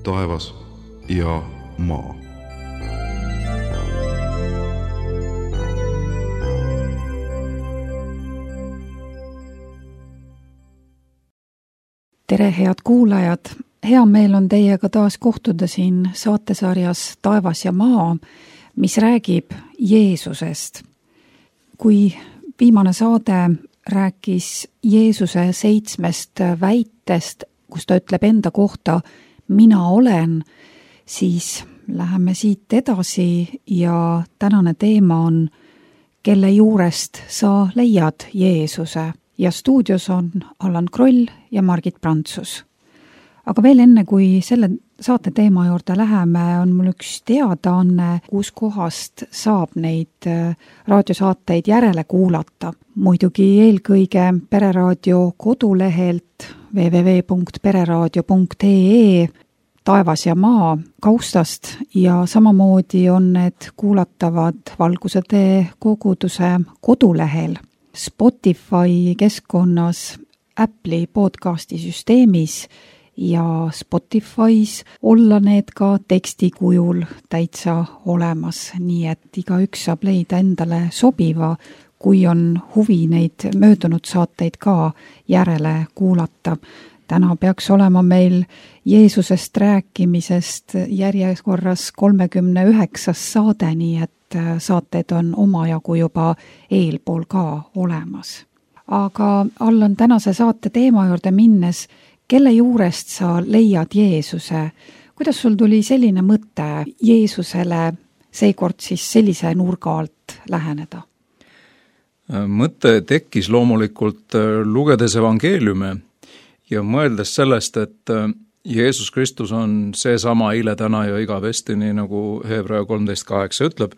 taevas ja maa. Tere, head kuulajad! Hea meel on teiega taas kohtuda siin saatesarjas Taevas ja maa, mis räägib Jeesusest. Kui viimane saade rääkis Jeesuse 7 väitest, kus ta ütleb enda kohta, mina olen, siis läheme siit edasi ja tänane teema on, kelle juurest sa leiad Jeesuse. Ja stuudios on Allan Kroll ja Margit Prantsus. Aga veel enne, kui selle saate teema juurde läheme, on mul üks teadaanne, kus kohast saab neid raadiosaateid järele kuulata. Muidugi eelkõige Pereraadio kodulehelt www.pereraadio.ee Taevas ja maa kaustast ja samamoodi on need kuulatavad Valguse tee koguduse kodulehel. Spotify keskkonnas, Apple'i podcasti süsteemis ja Spotify's olla need ka tekstikujul täitsa olemas, nii et igaüks saab leida endale sobiva, kui on huvi neid möödunud saateid ka järele kuulata. Täna peaks olema meil Jeesusest rääkimisest järjekorras 39. saade, nii et saated on omajagu juba eelpool ka olemas. Aga Allan, tänase saate teema juurde minnes, kelle juurest sa leiad Jeesuse? Kuidas sul tuli selline mõte Jeesusele seekord siis sellise nurga alt läheneda? Mõte tekkis loomulikult lugedes evangeeliume ja mõeldes sellest, et Jeesus Kristus on seesama eile, täna ja igavesti, nii nagu Hebra 13.8 ütleb.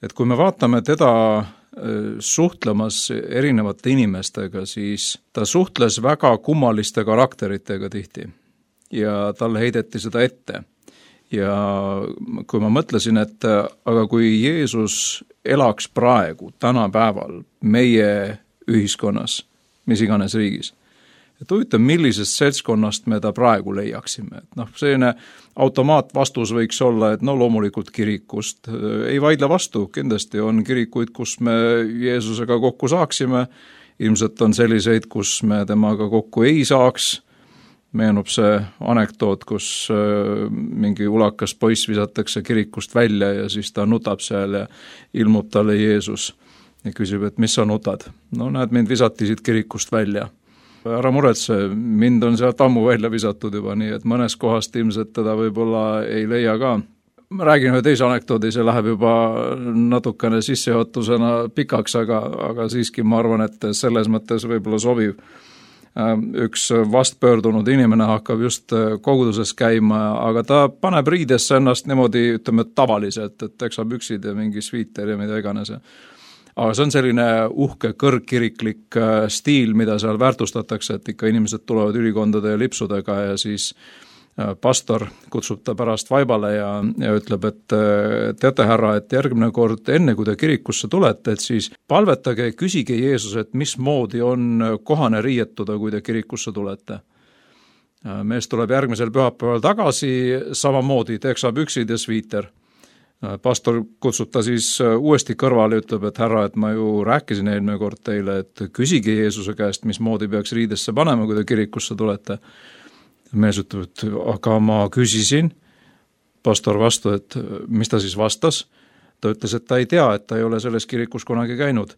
Et kui me vaatame teda suhtlemas erinevate inimestega, siis ta suhtles väga kummaliste karakteritega tihti ja talle heideti seda ette. Ja kui ma mõtlesin, et aga kui Jeesus elaks praegu, tänapäeval, meie ühiskonnas, mis iganes riigis, et huvitav, millisest seltskonnast me ta praegu leiaksime. Et selline automaatvastus võiks olla, et loomulikult kirikust. Ei vaidle vastu, kindlasti on kirikuid, kus me Jeesusega kokku saaksime. Ilmselt on selliseid, kus me temaga kokku ei saaks. Meenub see anekdoot, kus mingi ulakas poiss visatakse kirikust välja ja siis ta nutab seal ja ilmub talle Jeesus ja küsib, et mis sa nutad? Näed, mind visati siit kirikust välja. Ära muretse, mind on sealt ammu välja visatud juba, nii et mõnes kohast ilmselt teda võib-olla ei leia ka. Ma räägin ühe teise anekdoodi, see läheb juba natukene sissejuhatusena pikaks, aga siiski ma arvan, et selles mõttes võib-olla sobiv. Üks vastpöördunud inimene hakkab just koguduses käima, aga ta paneb riidesse ennast niimoodi, ütleme, tavaliselt, et teksab üksid ja mingi sviiter ja mida iganes. Aga see on selline uhke kõrgkiriklik stiil, mida seal väärtustatakse, et ikka inimesed tulevad ülikondade ja lipsudega ja siis pastor kutsub ta pärast vaibale ja ütleb, et teate härra, et järgmine kord enne, kui te kirikusse tulete, et siis palvetage ja küsige Jeesus, et mismoodi on kohane riietuda, kui te kirikusse tulete. Mees tuleb järgmisel pühapäeval tagasi, samamoodi teksab üksid ja sviiter. Pastor kutsub ta siis uuesti kõrvale ja ütleb, et härra, et ma ju rääkisin eelmine kord teile, et küsige Jeesuse käest, mismoodi peaks riidesse panema, kui te kirikusse tulete. Mees ütleb, et aga ma küsisin. Pastor vastu, et mis ta siis vastas? Ta ütles, et ta ei tea, et ta ei ole selles kirikus kunagi käinud.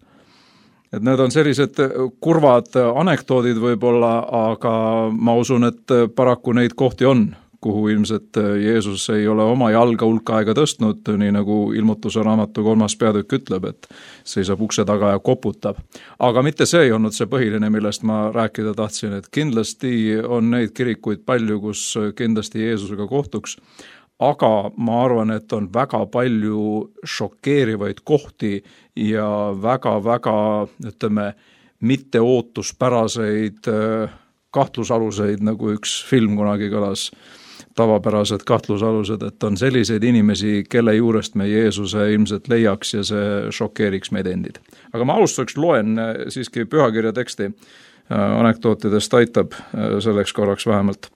Et need on sellised kurvad anekdoodid võib-olla, aga ma usun, et paraku neid kohti on, kuhu ilmselt Jeesus ei ole oma jalga hulka aega tõstnud, nii nagu ilmutuse raamatu 3. peatükk ütleb, et seisab ukse taga ja koputab. Aga mitte see ei olnud see põhiline, millest ma rääkida tahtsin, et kindlasti on neid kirikuid palju, kus kindlasti Jeesusega kohtuks, aga ma arvan, et on väga palju šokeerivaid kohti ja väga-väga, ütleme, mitteootuspäraseid kahtlusaluseid, nagu üks film kunagi kõlas, tavapärased kahtlusalused, et on selliseid inimesi, kelle juurest me Jeesuse ilmselt leiaks ja see šokeeriks meid endid. Aga ma alustuseks loen siiski pühakirja teksti, anekdootidest aitab selleks korraks vähemalt.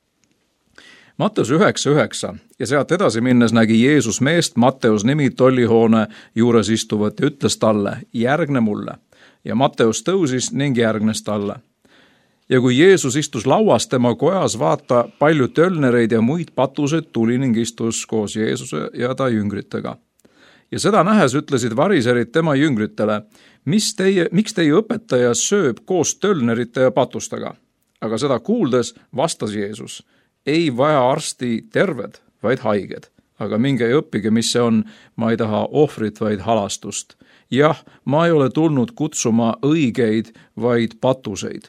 Matteus 9:9 ja sealt edasi minnes nägi Jeesus meest Matteus nimi tollihoone juures istuvat ja ütles talle, järgne mulle. Ja Matteus tõusis ning järgnes talle. Ja kui Jeesus istus lauas tema kojas, vaata, palju tölnereid ja muid patuseid tuli ning istus koos Jeesuse ja ta jüngritega. Ja seda nähes ütlesid variserid tema jüngritele, miks teie õpetaja sööb koos tölnerite ja patustega? Aga seda kuuldes vastas Jeesus, ei vaja arsti terved, vaid haiged. Aga minge ja õppige, mis see on, ma ei taha ohvrit, vaid halastust. Jah, ma ei ole tulnud kutsuma õigeid, vaid patuseid.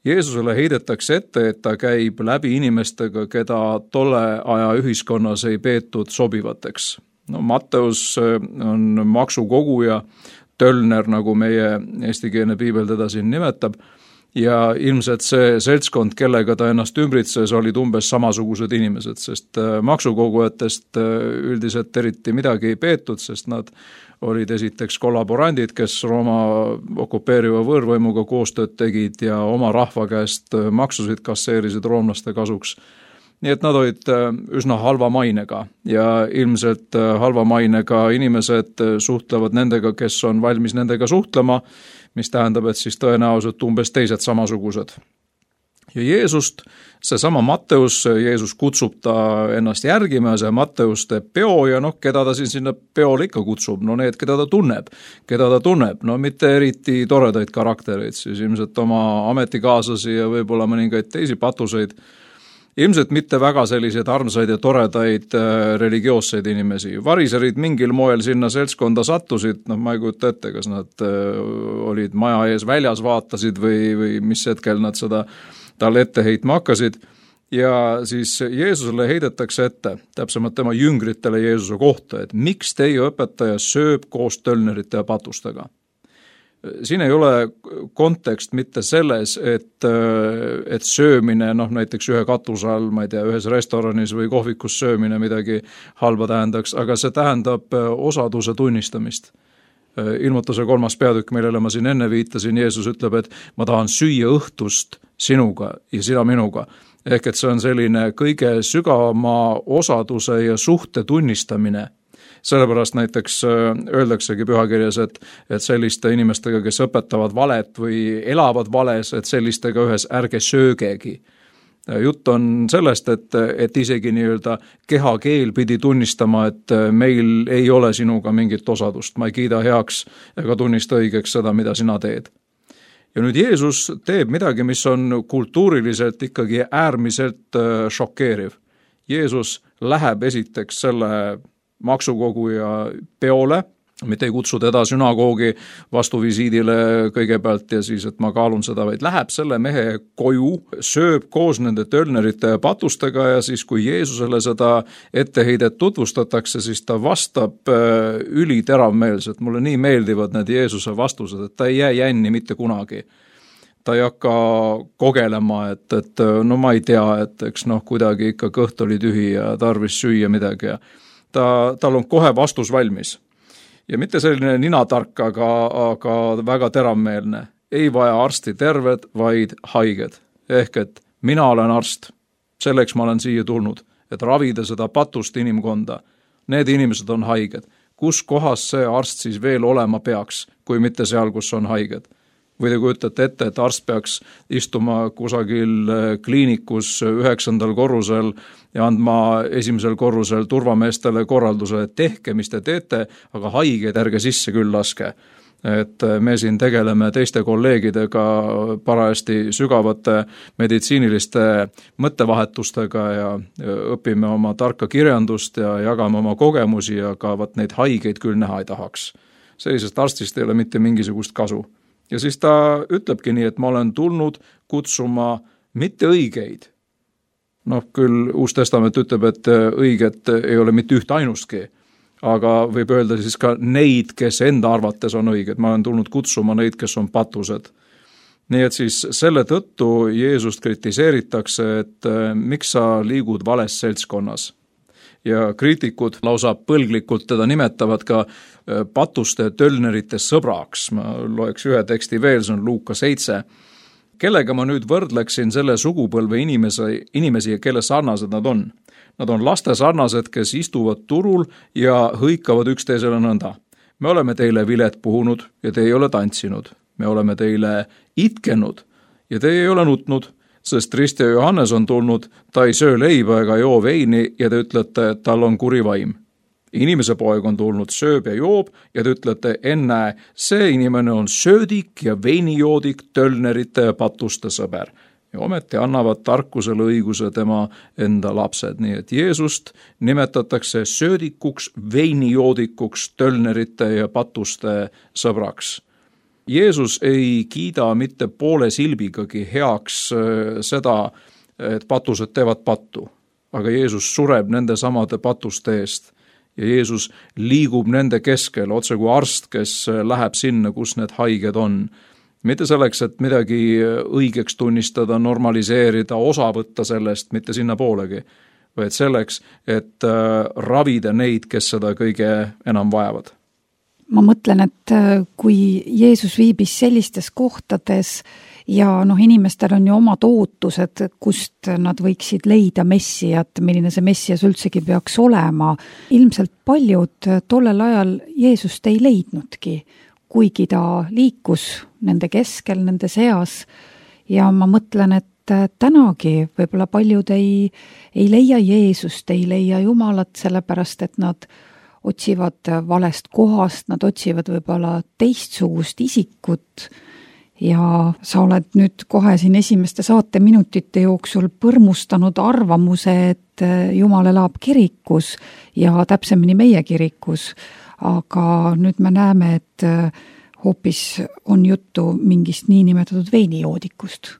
Jeesusele heidetakse ette, et ta käib läbi inimestega, keda tolle aja ühiskonnas ei peetud sobivateks. No, Matteus on maksukoguja, tölner, nagu meie eestikeelne piibel teda siin nimetab, ja ilmselt see seltskond, kellega ta ennast ümbritses, olid umbes samasugused inimesed, sest maksukogujatest üldiselt eriti midagi ei peetud, sest nad olid esiteks kollaborandid, kes Rooma okupeeriva võõrvõimuga koostööd tegid ja oma rahva käest maksusid kasseerisid roomlaste kasuks. Nii et nad olid üsna halva mainega ja ilmselt halva mainega inimesed suhtlevad nendega, kes on valmis nendega suhtlema, mis tähendab, et siis tõenäoliselt umbes teised samasugused. Ja Jeesust, seesama Matteus, Jeesus kutsub ta ennast järgima ja see Matteus teeb peo ja keda ta siin sinna peole ikka kutsub? No need, keda ta tunneb, no mitte eriti toredaid karaktereid, siis ilmselt oma ametikaaslasi ja võib-olla mõningaid teisi patuseid, ilmselt mitte väga selliseid armsaid ja toredaid religioosseid inimesi. Variserid mingil moel sinna seltskonda sattusid, ma ei kujuta ette, kas nad olid maja ees väljas, vaatasid või mis hetkel nad seda talle ette heitma hakkasid. Ja siis Jeesusele heidetakse ette, täpsemalt tema jüngritele Jeesuse kohta, et miks teie õpetaja sööb koos tölnerite ja patustega. Siin ei ole kontekst mitte selles, et söömine, näiteks ühe katuse all, ma ei tea, ühes restoranis või kohvikus söömine midagi halba tähendaks, aga see tähendab osaduse tunnistamist. Ilmutuse 3. peatükk, millele ma siin enne viitasin, Jeesus ütleb, et ma tahan süüa õhtust sinuga ja sina minuga. Ehk et see on selline kõige sügavama osaduse ja suhte tunnistamine. Sellepärast näiteks öeldaksegi pühakirjas, et selliste inimestega, kes õpetavad valet või elavad vales, et sellistega ühes ärge söögegi. Jutt on sellest, et isegi nii-öelda kehakeel pidi tunnistama, et meil ei ole sinuga mingit osadust, ma ei kiida heaks ega tunnista õigeks seda, mida sina teed. Ja nüüd Jeesus teeb midagi, mis on kultuuriliselt ikkagi äärmiselt šokeeriv. Jeesus läheb esiteks selle maksukoguja peole, mitte ei kutsu teda sünagoogi vastuvisiidile kõigepealt ja siis, et ma kaalun seda, vaid läheb selle mehe koju, sööb koos nende tölnerite ja patustega ja siis, kui Jeesusele seda etteheidet tutvustatakse, siis ta vastab üliteravmeelselt. Mulle nii meeldivad need Jeesuse vastused, et ta ei jää jänni mitte kunagi. Ta ei hakka kogelema, et ma ei tea, et eks kuidagi ikka kõht oli tühi ja tarvis süüa midagi ja tal on kohe vastus valmis. Ja mitte selline ninatark, aga väga teravmeelne. Ei vaja arsti terved, vaid haiged. Ehk et mina olen arst. Selleks ma olen siia tulnud, et ravida seda patust inimkonda. Need inimesed on haiged. Kus kohas see arst siis veel olema peaks, kui mitte seal, kus on haiged? Või te kujutate ette, et arst peaks istuma kusagil kliinikus 9. korrusel ja andma 1. korrusel turvameestele korralduse, et tehke, mis te teete, aga haigeid ärge sisse küll laske. Et me siin tegeleme teiste kolleegidega parajasti sügavate meditsiiniliste mõttevahetustega ja õpime oma tarka kirjandust ja jagame oma kogemusi, aga neid haigeid küll näha ei tahaks. Sellisest arstist ei ole mitte mingisugust kasu. Ja siis ta ütlebki nii, et ma olen tulnud kutsuma mitte õigeid. Küll Uus Testament ütleb, et õiget ei ole mitte üht ainustki, aga võib öelda siis ka neid, kes enda arvates on õiged. Ma olen tulnud kutsuma neid, kes on patused. Nii et siis selle tõttu Jeesust kritiseeritakse, et miks sa liigud vales seltskonnas. Ja kriitikud lausa põlglikult teda nimetavad ka patuste tölnerite sõbraks. Ma loeks ühe teksti veel, see on Luuka 7. Kellega ma nüüd võrdleksin selle sugupõlve inimesi, kelle sarnased nad on? Nad on laste sarnased, kes istuvad turul ja hõikavad üksteisele nõnda. Me oleme teile vilet puhunud ja te ei ole tantsinud. Me oleme teile itkenud ja te ei ole nutnud, sest Rist ja Johannes on tulnud, ta ei söö leiba ega joo veini ja te ütlete, et tal on kuri vaim. Inimese poeg on tulnud, sööb ja joob ja te ütlete, ennäe, see inimene on söödik ja veinijoodik, tölnerite ja patuste sõber. Ja ometi annavad tarkusele õiguse tema enda lapsed. Nii et Jeesust nimetatakse söödikuks, veinijoodikuks, tölnerite ja patuste sõbraks. Jeesus ei kiida mitte poole silbigagi heaks seda, et patused teevad pattu, aga Jeesus sureb nende samade patuste eest ja Jeesus liigub nende keskel, otse kui arst, kes läheb sinna, kus need haiged on. Mitte selleks, et midagi õigeks tunnistada, normaliseerida, osa võtta sellest, mitte sinna poolegi, vaid selleks, et ravida neid, kes seda kõige enam vajavad. Ma mõtlen, et kui Jeesus viibis sellistes kohtades ja inimestel on ju omad ootused, kust nad võiksid leida messiat, milline see messias üldsegi peaks olema, ilmselt paljud tollel ajal Jeesust ei leidnudki, kuigi ta liikus nende keskel, nende seas ja ma mõtlen, et tänagi võib-olla paljud ei leia Jeesust, ei leia Jumalat, sellepärast et nad otsivad valest kohast, nad otsivad võib-olla teistsugust isikut ja sa oled nüüd kohe siin esimeste saateminutite jooksul põrmustanud arvamuse, et Jumal elab kirikus ja täpsemini meie kirikus, aga nüüd me näeme, et hoopis on juttu mingist niinimetatud veinijoodikust.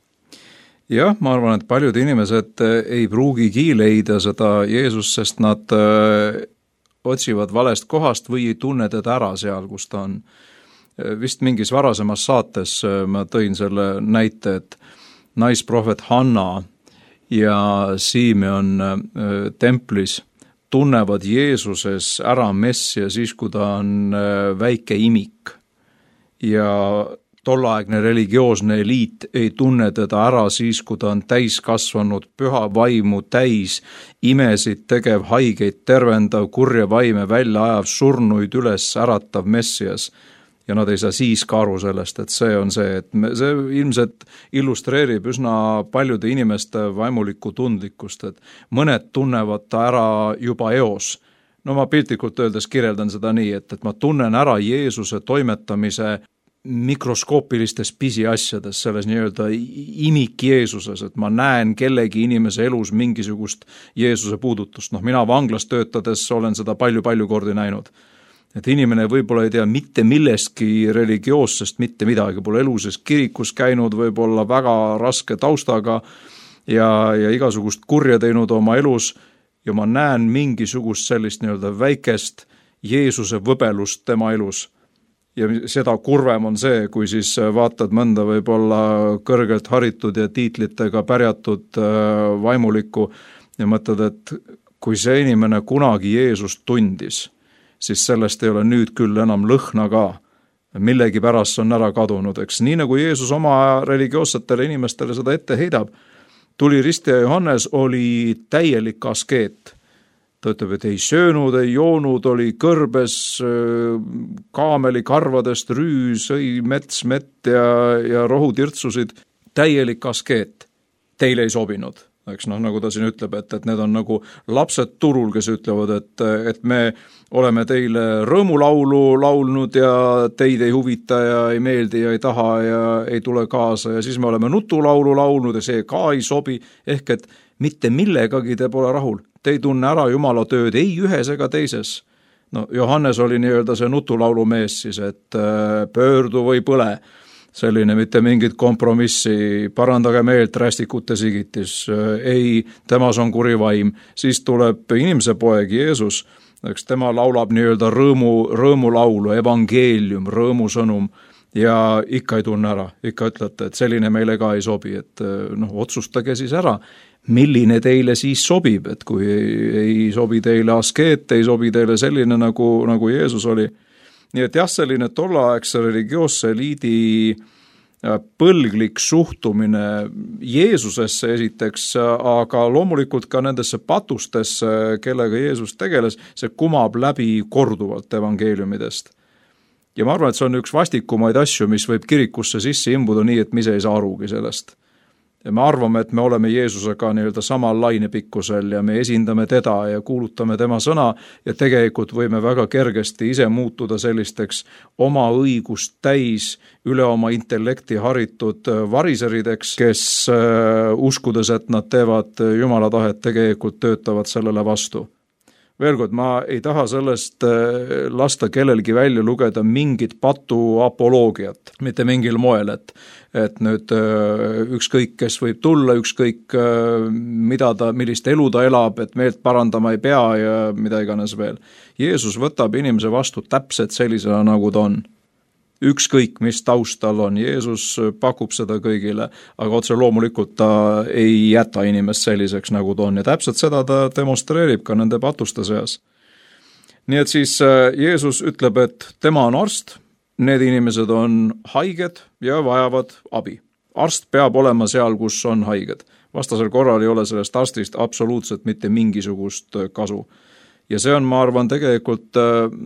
Jah, ma arvan, et paljud inimesed ei pruugigi leida seda Jeesust, sest nad otsivad valest kohast või ei tunne teda ära seal, kus ta on. Vist mingis varasemas saates ma tõin selle näite, et naisprohvet Hanna ja Simeon templis tunnevad Jeesuses ära messia siis, kui ta on väike imik. Ja tolleaegne religioosne eliit ei tunne teda ära siis, kui ta on täiskasvanud, püha vaimu täis, imesid tegev, haigeid tervendav, kurja vaime välja ajav, surnuid üles äratav messias. Ja nad ei saa siis ka aru sellest, et see on see, et see ilmselt illustreerib üsna paljude inimeste vaimulikku tundlikkust, et mõned tunnevad ta ära juba eos. No ma piltlikult öeldes kirjeldan seda nii, et ma tunnen ära Jeesuse toimetamise mikroskoopilistes pisiasjades, selles nii-öelda imik Jeesuses, et ma näen kellegi inimese elus mingisugust Jeesuse puudutust. Mina vanglas töötades olen seda palju kordi näinud. Et inimene võib-olla ei tea mitte millestki religioossest, mitte midagi, pole eluses kirikus käinud, võib-olla väga raske taustaga ja igasugust kurja teinud oma elus ja ma näen mingisugust sellist nii-öelda väikest Jeesuse võbelust tema elus. Ja seda kurvem on see, kui siis vaatad mõnda võib-olla kõrgelt haritud ja tiitlitega pärjatud vaimulikku ja mõtled, et kui see inimene kunagi Jeesust tundis, siis sellest ei ole nüüd küll enam lõhna ka. Millegi pärast on ära kadunud, eks. Nii nagu Jeesus oma religioossetele inimestele seda ette heidab, tuli Rist ja Johannes oli täielik askeet. Ta ütleb, et ei söönud, ei joonud, oli kõrbes, kaameli karvadest rüüs, sõi mets, mett ja rohutirtsusid. Täielik askeet. Teile ei sobinud. Eks nagu ta siin ütleb, et need on nagu lapsed turul, kes ütlevad, et me oleme teile rõõmulaulu laulnud ja teid ei huvita ja ei meeldi ja ei taha ja ei tule kaasa ja siis me oleme nutulaulu laulnud ja see ka ei sobi, ehk et mitte millegagi te pole rahul. Te ei tunne ära Jumala tööd ei ühes ega teises. Johannes oli nii-öelda see nutulaulu mees siis, et pöördu või põle. Selline mitte mingit kompromissi, parandage meelt rästikute sigitis, ei, temas on kuri vaim. Siis tuleb inimese poeg Jeesus, eks tema laulab nii-öelda rõõmulaulu, evangeelium, rõõmusõnum ja ikka ei tunne ära, ikka ütlete, et selline meile ka ei sobi, et otsustage siis ära, milline teile siis sobib, et kui ei sobi teile askeet, ei sobi teile selline nagu Jeesus oli. Nii et jah, selline tolleaegse religioosse eliidi põlglik suhtumine Jeesusesse esiteks, aga loomulikult ka nendesse patustesse, kellega Jeesus tegeles, see kumab läbi korduvalt evangeeliumidest. Ja ma arvan, et see on üks vastikumaid asju, mis võib kirikusse sisse imbuda nii, et me ise ei saa arugi sellest. Ja me arvame, et me oleme Jeesusega nii-öelda samal lainepikkusel ja me esindame teda ja kuulutame tema sõna ja tegelikult võime väga kergesti ise muutuda sellisteks oma õigust täis, üle oma intellekti haritud variserideks, kes uskudes, et nad teevad Jumala tahet, tegelikult töötavad sellele vastu. Veel kord, ma ei taha sellest lasta kellelgi välja lugeda mingit patu apoloogiat, mitte mingil moel, et nüüd ükskõik, kes võib tulla, ükskõik millist elu ta elab, et meelt parandama ei pea ja mida iganes veel. Jeesus võtab inimese vastu täpselt sellisena, nagu ta on. Ükskõik, mis taustal on. Jeesus pakub seda kõigile, aga otse loomulikult ta ei jäta inimest selliseks, nagu ta on. Ja täpselt seda ta demonstreerib ka nende patuste seas. Nii et siis Jeesus ütleb, et tema on arst, need inimesed on haiged ja vajavad abi. Arst peab olema seal, kus on haiged. Vastasel korral ei ole sellest arstist absoluutselt mitte mingisugust kasu. Ja see on, ma arvan, tegelikult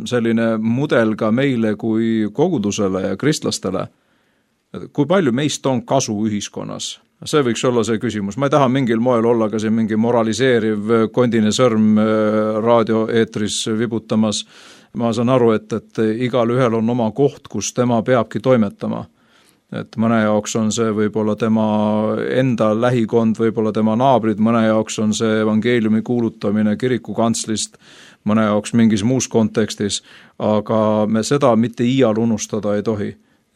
selline mudel ka meile kui kogudusele ja kristlastele. Kui palju meist on kasu ühiskonnas? See võiks olla see küsimus. Ma ei taha mingil moel olla ka siin mingi moraliseeriv kondine sõrm raadioeetris vibutamas. Ma saan aru, et igal ühel on oma koht, kus tema peabki toimetama. Et mõne jaoks on see võib-olla tema enda lähikond, võib-olla tema naabrid, mõne jaoks on see evangeeliumi kuulutamine kirikukantslist, mõne jaoks mingis muus kontekstis, aga me seda mitte iial unustada ei tohi.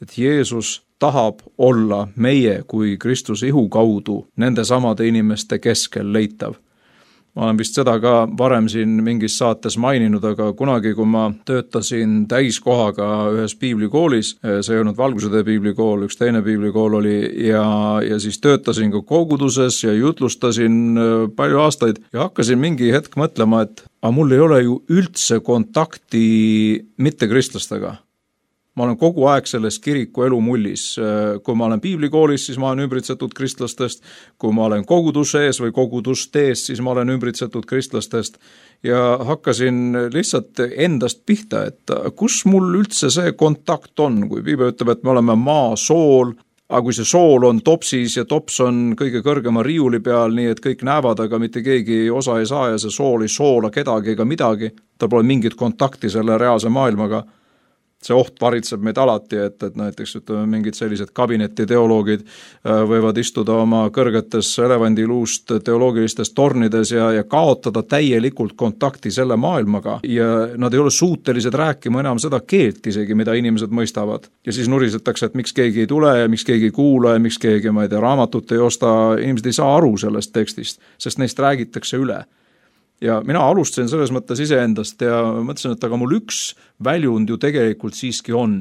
Et Jeesus tahab olla meie kui Kristuse ihu kaudu nende samade inimeste keskel leitav. Ma olen vist seda ka varem siin mingis saates maininud, aga kunagi, kui ma töötasin täiskohaga ühes piiblikoolis, see ei olnud Valgusede piiblikool, üks teine piiblikool oli, ja siis töötasin ka koguduses ja jutlustasin palju aastaid ja hakkasin mingi hetk mõtlema, et mul ei ole ju üldse kontakti mittekristlastega. Ma olen kogu aeg selles kiriku elu mullis. Kui ma olen piiblikoolis, siis ma olen ümbritsetud kristlastest. Kui ma olen koguduses või kogudustees, siis ma olen ümbritsetud kristlastest. Ja hakkasin lihtsalt endast pihta, et kus mul üldse see kontakt on, kui piibel ütleb, et me oleme maa, sool, aga kui see sool on topsis ja tops on kõige kõrgema riiuli peal, nii et kõik näevad, aga mitte keegi osa ei saa ja see sool ei soola kedagi ega midagi, tal pole mingit kontakti selle reaalse maailmaga. See oht varitseb meid alati, et näiteks ütleme, mingid sellised kabinetiteoloogid võivad istuda oma kõrgetes elevandiluust teoloogilistes tornides ja kaotada täielikult kontakti selle maailmaga ja nad ei ole suutelised rääkima enam seda keelt isegi, mida inimesed mõistavad. Ja siis nurisetakse, et miks keegi ei tule ja miks keegi ei kuula ja miks keegi, ma ei tea, raamatut ei osta, inimesed ei saa aru sellest tekstist, sest neist räägitakse üle. Ja mina alustasin selles mõttes iseendast ja mõtlesin, et aga mul üks väljund ju tegelikult siiski on.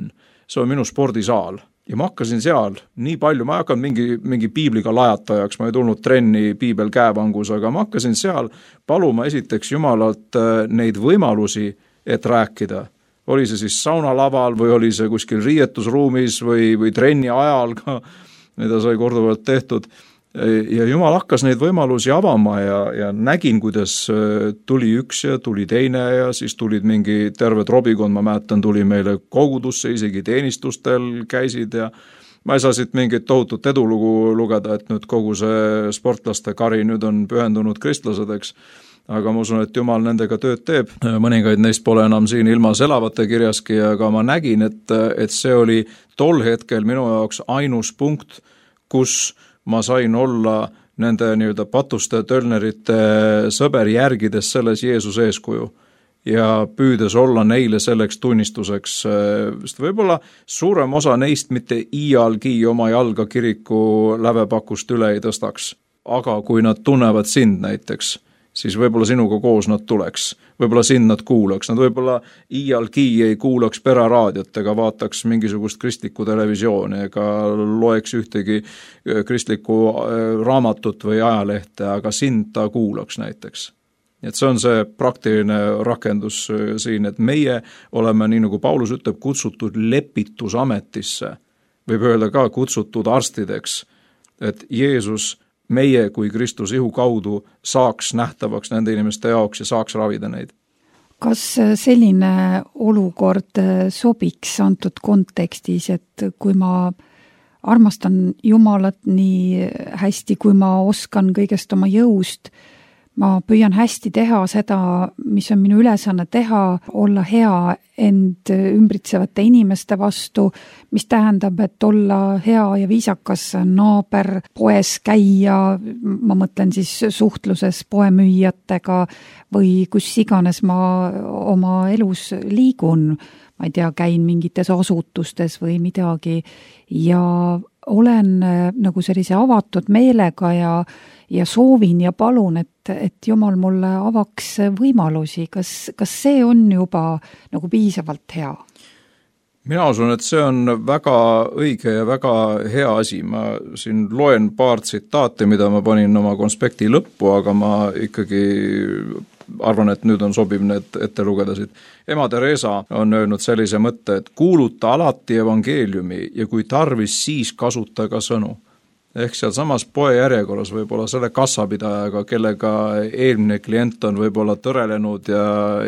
See on minu spordisaal. Ja ma hakkasin seal nii palju, ma ei hakanud mingi piibliga lajatajaks, ma ei tulnud trenni piibel käevangus, aga ma hakkasin seal paluma esiteks Jumalalt neid võimalusi, et rääkida. Oli see siis saunalaval või oli see kuskil riietusruumis või trenni ajal ka, mida sai korduvalt tehtud. Ja Jumal hakkas neid võimalusi avama ja nägin, kuidas tuli üks ja tuli teine ja siis tulid mingi terve trobikond, ma mäletan, tuli meile kogudusse, isegi teenistustel käisid ja ma ei saa siit mingit tohutut edulugu lugeda, et nüüd kogu see sportlaste kari nüüd on pühendunud kristlasedeks, aga ma usun, et Jumal nendega tööd teeb. Mõningaid neist pole enam siin ilmas elavate kirjaski, aga ma nägin, et see oli tol hetkel minu jaoks ainus punkt, kus ma sain olla nende nii-öelda patuste tölnerite sõber järgides selles Jeesuse eeskuju ja püüdes olla neile selleks tunnistuseks. Võib-olla suurem osa neist mitte iialgi oma jalga kiriku lävepakust üle ei tõstaks, aga kui nad tunnevad sind näiteks, siis võib-olla sinuga koos nad tuleks, võib-olla sind nad kuulaks, nad võib-olla iialgi ei kuulaks peraraadiot ega vaataks mingisugust kristlikku televisiooni ega loeks ühtegi kristlikku raamatut või ajalehte, aga sind ta kuulaks näiteks. Et see on see praktiline rakendus siin, et meie oleme, nii nagu Paulus ütleb, kutsutud lepitusametisse. võib öelda ka kutsutud arstideks, et Jeesus meie kui Kristus ihu kaudu saaks nähtavaks nende inimeste jaoks ja saaks ravida neid. Kas selline olukord sobiks antud kontekstis, et kui ma armastan Jumalat nii hästi, kui ma oskan kõigest oma jõust, ma püüan hästi teha seda, mis on minu ülesanne teha, olla hea end ümbritsevate inimeste vastu, mis tähendab, et olla hea ja viisakas naaber, poes käia, ma mõtlen siis suhtluses poemüüjatega või kus iganes ma oma elus liigun, ma ei tea, käin mingites asutustes või midagi ja olen nagu sellise avatud meelega ja soovin ja palun, et Jumal mulle avaks võimalusi. Kas see on juba nagu piisavalt hea? Mina usun, et see on väga õige ja väga hea asi. Ma siin loen paar tsitaati, mida ma panin oma konspekti lõppu, aga ma ikkagi arvan, et nüüd on sobiv need ette lugeda siit. Ema Teresa on öelnud sellise mõtte, et kuuluta alati evangeeliumi ja kui tarvis, siis kasuta ka sõnu. Ehk seal samas poe järjekorras võib-olla selle kassapidajaga, kellega eelmine klient on võib-olla tõrelenud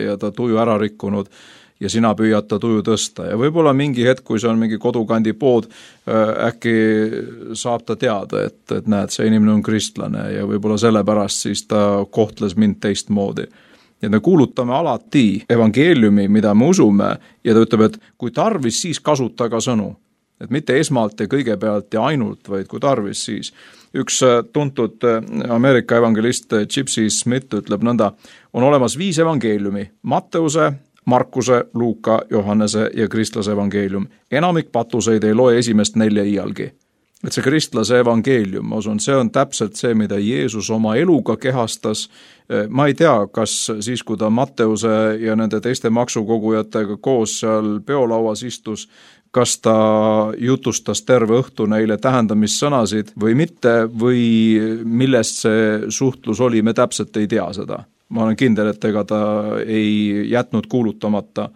ja ta tuju ära rikkunud ja sina püüad ta tuju tõsta. Ja võib-olla mingi hetk, kui see on mingi kodukandi pood, äkki saab ta teada, et näed, see inimene on kristlane ja võib-olla sellepärast siis ta kohtles mind teistmoodi. Ja me kuulutame alati evangeeliumi, mida me usume ja ta ütleb, et kui tarvis, siis kasuta ka sõnu. Et mitte esmalt ja kõigepealt ja ainult, vaid kui tarvis siis. Üks tuntud Ameerika evangelist Gypsy Smith ütleb nõnda, on olemas 5 evangeeliumi, Matteuse, Markuse, Luuka, Johannese ja kristlase evangeelium. Enamik patuseid ei loe esimest 4 iialgi. Et see kristlase evangeelium, ma usun, see on täpselt see, mida Jeesus oma eluga kehastas. Ma ei tea, kas siis, kui ta Matteuse ja nende teiste maksukogujatega koos seal peolauas istus, kas ta jutustas terve õhtu neile tähendamissõnasid või mitte, või millest see suhtlus oli, me täpselt ei tea seda. Ma olen kindel, et ega ta ei jätnud kuulutamata,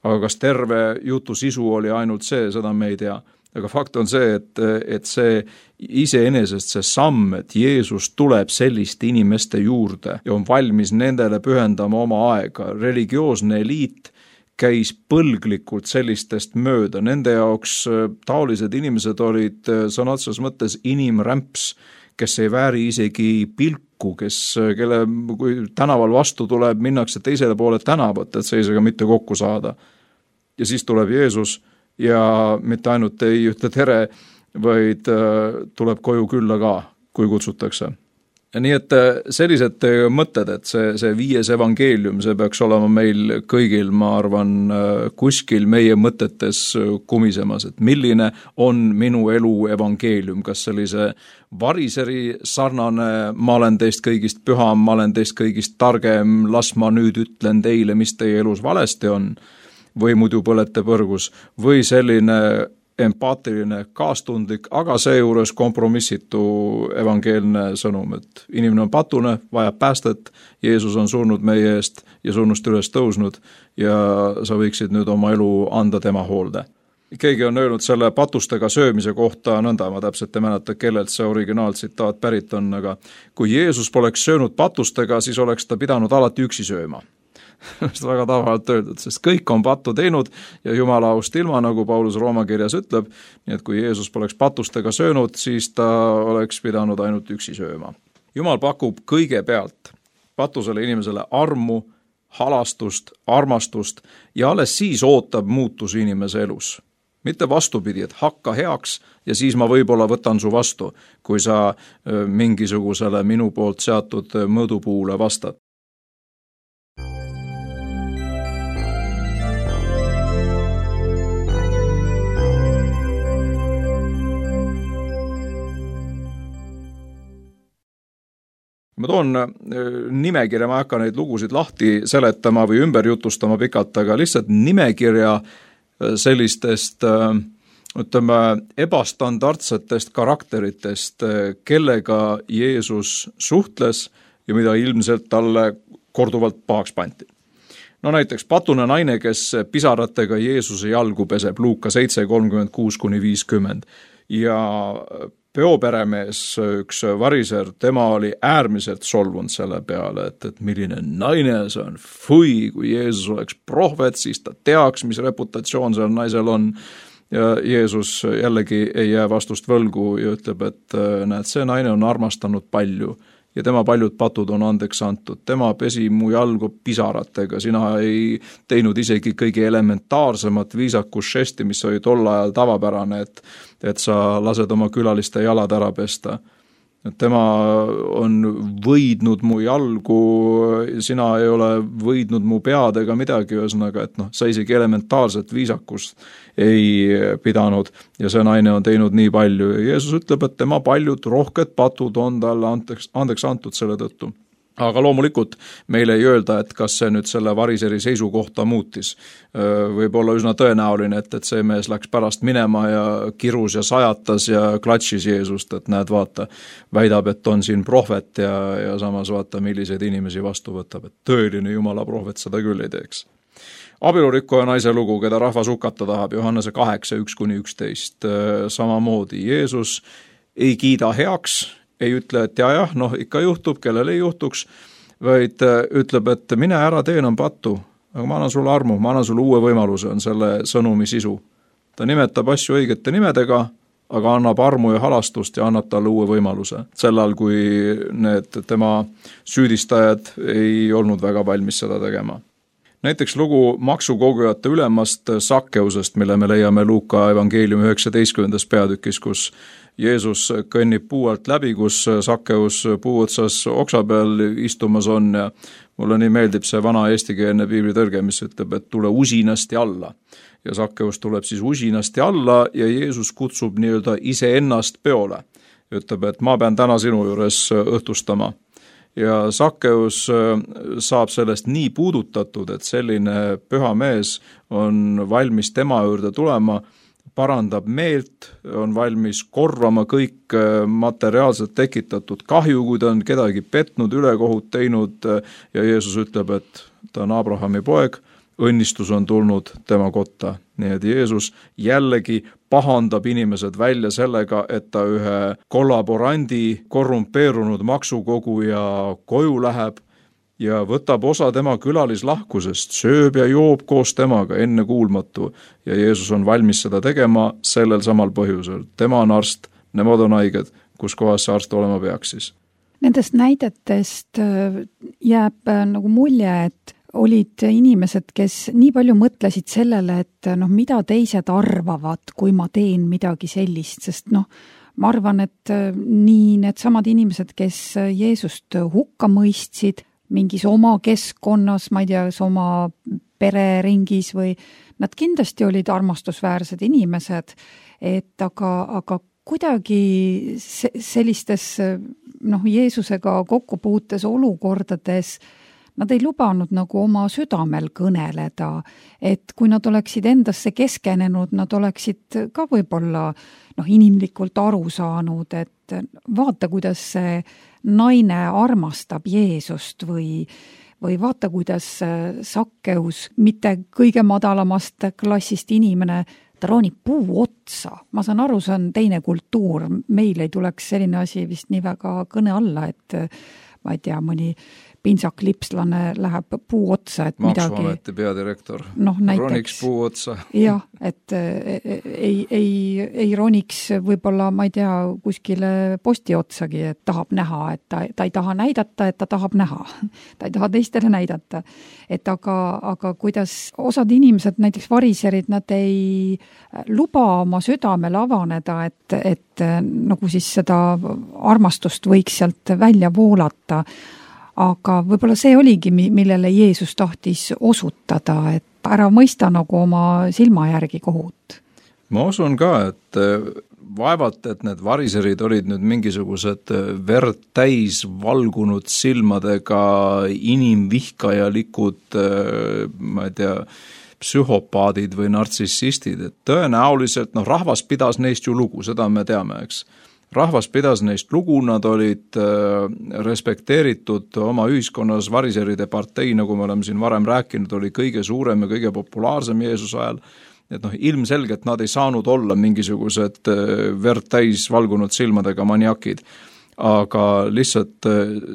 aga kas terve jutu sisu oli ainult see, seda me ei tea. Aga fakt on see, et see iseenesest see samm, et Jeesus tuleb selliste inimeste juurde ja on valmis nendele pühendama oma aega. Religioosne eliit käis põlglikult sellistest mööda. Nende jaoks taolised inimesed olid sõna otseses mõttes inimrämps, kes ei vääri isegi pilku, kelle kui tänaval vastu tuleb, minnakse teisele poole tänavat, et seisega mitte kokku saada. Ja siis tuleb Jeesus ja mitte ainult ei ütle tere, vaid tuleb koju külla ka, kui kutsutakse. Nii et sellised mõtted, et see 5 evangeelium, see peaks olema meil kõigil, ma arvan, kuskil meie mõtetes kumisemas, et milline on minu elu evangeelium, kas sellise variseri sarnane, ma olen teist kõigist püham, ma olen teist kõigist targem, las ma nüüd ütlen teile, mis teie elus valesti on, või muidu põlete põrgus, või selline empaatiline, kaastundlik, aga seejuures kompromissitu evangeelne sõnum, et inimene on patune, vajab päästet, Jeesus on surnud meie eest ja surnust üles tõusnud ja sa võiksid nüüd oma elu anda tema hoolde. Keegi on öelnud selle patustega söömise kohta nõnda, ma täpselt ei mäleta, kellelt see originaaltsitaat pärit on, aga kui Jeesus poleks söönud patustega, siis oleks ta pidanud alati üksi sööma. Seda väga tavaliselt öeldud, sest kõik on pattu teinud ja Jumala aust ilma, nagu Paulus Rooma kirjas ütleb, nii et kui Jeesus poleks patustega söönud, siis ta oleks pidanud ainult üksi sööma. Jumal pakub kõigepealt patusele inimesele armu, halastust, armastust ja alles siis ootab muutusi inimese elus. Mitte vastupidi, et hakka heaks ja siis ma võib-olla võtan su vastu, kui sa mingisugusele minu poolt seatud mõõdupuule vastad. Ma toon nimekirja, ma ei hakka neid lugusid lahti seletama või ümber jutustama pikalt, aga lihtsalt nimekirja sellistest, ütleme, ebastandardsetest karakteritest, kellega Jeesus suhtles ja mida ilmselt talle korduvalt pahaks panti. no näiteks patune naine, kes pisaratega Jeesuse jalgu peseb, Luuka 7:36-50 ja peoperemees, üks variser, tema oli äärmiselt solvunud selle peale, et milline naine see on, fui, kui Jeesus oleks prohvet, siis ta teaks, mis reputatsioon seal naisel on. Ja Jeesus jällegi ei jää vastust võlgu ja ütleb, et näed, see naine on armastanud palju ja tema paljud patud on andeks antud. Tema pesi mu jalgu pisaratega, sina ei teinud isegi kõige elementaarsemat viisakusžesti, mis oli tol ajal tavapärane, et sa lased oma külaliste jalad ära pesta. Tema on võidnud mu jalgu, sina ei ole võidnud mu pead ega midagi, ühesõnaga, et sa isegi elementaarset viisakust ei pidanud ja see naine on teinud nii palju ja Jeesus ütleb, et tema paljud rohked patud on talle andeks antud selle tõttu. Aga loomulikult meile ei öelda, et kas see nüüd selle variseri seisukohta muutis. Võib olla üsna tõenäoline, et see mees läks pärast minema ja kirus ja sajatas ja klatšis Jeesust, et näed, vaata, väidab, et on siin prohvet ja samas vaata, milliseid inimesi vastu võtab, et tõeline Jumala prohvet seda küll ei teeks. Abielurikkuja naise lugu, keda rahvas hukata tahab, Johannese 8:1-11, samamoodi Jeesus ei kiida heaks, ei ütle, et jah, ikka juhtub, kellel ei juhtuks, vaid ütleb, et mine ära tee enam pattu, aga ma annan sulle armu, ma annan sulle uue võimaluse, on selle sõnumi sisu. Ta nimetab asju õigete nimedega, aga annab armu ja halastust ja annab talle uue võimaluse. Sellal, kui need tema süüdistajad ei olnud väga valmis seda tegema. Näiteks lugu maksukogujate ülemast Sakkeusest, mille me leiame Luuka evangeeliumi 19. peatükis, kus Jeesus kõnnib puu alt läbi, kus Sakkeus puu otsas oksa peal istumas on ja mulle nii meeldib see vana eestikeelne piiblitõrge, mis ütleb, et tule usinasti alla. Ja Sakkeus tuleb siis usinasti alla ja Jeesus kutsub nii-öelda iseennast peole. Ütleb, et ma pean täna sinu juures õhtustama. Ja Sakkeus saab sellest nii puudutatud, et selline püha mees on valmis tema juurde tulema, parandab meelt, on valmis korvama kõik materiaalselt tekitatud kahju, kui ta on kedagi petnud, ülekohut teinud ja Jeesus ütleb, et ta on Abrahami poeg, õnnistus on tulnud tema kotta. Nii et Jeesus jällegi pahandab inimesed välja sellega, et ta ühe kollaborandi korrumpeerunud maksukoguja koju läheb ja võtab osa tema külalislahkusest, sööb ja joob koos temaga, ennekuulmatu. Ja Jeesus on valmis seda tegema sellel samal põhjusel. Tema on arst, nemad on haiged, kus kohas see arst olema peaks siis. Nendest näidetest jääb nagu mulje, et olid inimesed, kes nii palju mõtlesid sellele, et mida teised arvavad, kui ma teen midagi sellist, sest ma arvan, et nii need samad inimesed, kes Jeesust hukka mõistsid, mingis oma keskkonnas, ma ei tea, oma pereringis või nad kindlasti olid armastusväärsed inimesed, et aga kuidagi sellistes Jeesusega kokkupuutes olukordades nad ei lubanud nagu oma südamel kõneleda, et kui nad oleksid endasse keskenenud, nad oleksid ka võib-olla inimlikult aru saanud, et vaata, kuidas see naine armastab Jeesust või vaata, kuidas Sakkeus, mitte kõige madalamast klassist inimene, ta roonib puu otsa. Ma saan aru, see on teine kultuur. Meil ei tuleks selline asi vist nii väga kõne alla, et ma ei tea, mõni pintsaklipslane läheb puu otsa, et Maksuameti peadirektor roniks puu otsa. Jah, et ei roniks võib-olla, ma ei tea, kuskile posti otsagi, et tahab näha, et ta ei taha näidata, et ta tahab näha. Ta ei taha teistele näidata. Et aga kuidas osad inimesed, näiteks variserid, nad ei luba oma südamel avaneda, et nagu siis seda armastust võiks sealt välja voolata. Aga võib-olla see oligi, millele Jeesus tahtis osutada, et ära mõista nagu oma silma järgi kohut. Ma usun ka, et vaevalt, et need variserid olid nüüd mingisugused verd täis valgunud silmadega inimvihkajalikud, ma ei tea, psühhopaadid või nartsissistid, et tõenäoliselt rahvas pidas neist ju lugu, seda me teame, eks. rahvas pidas neist lugu, nad olid respekteeritud oma ühiskonnas, variseride partei, nagu me oleme siin varem rääkinud, oli kõige suurem ja kõige populaarsem Jeesuse ajal. Et ilmselgelt nad ei saanud olla mingisugused verd täis valgunud silmadega maniakid, aga lihtsalt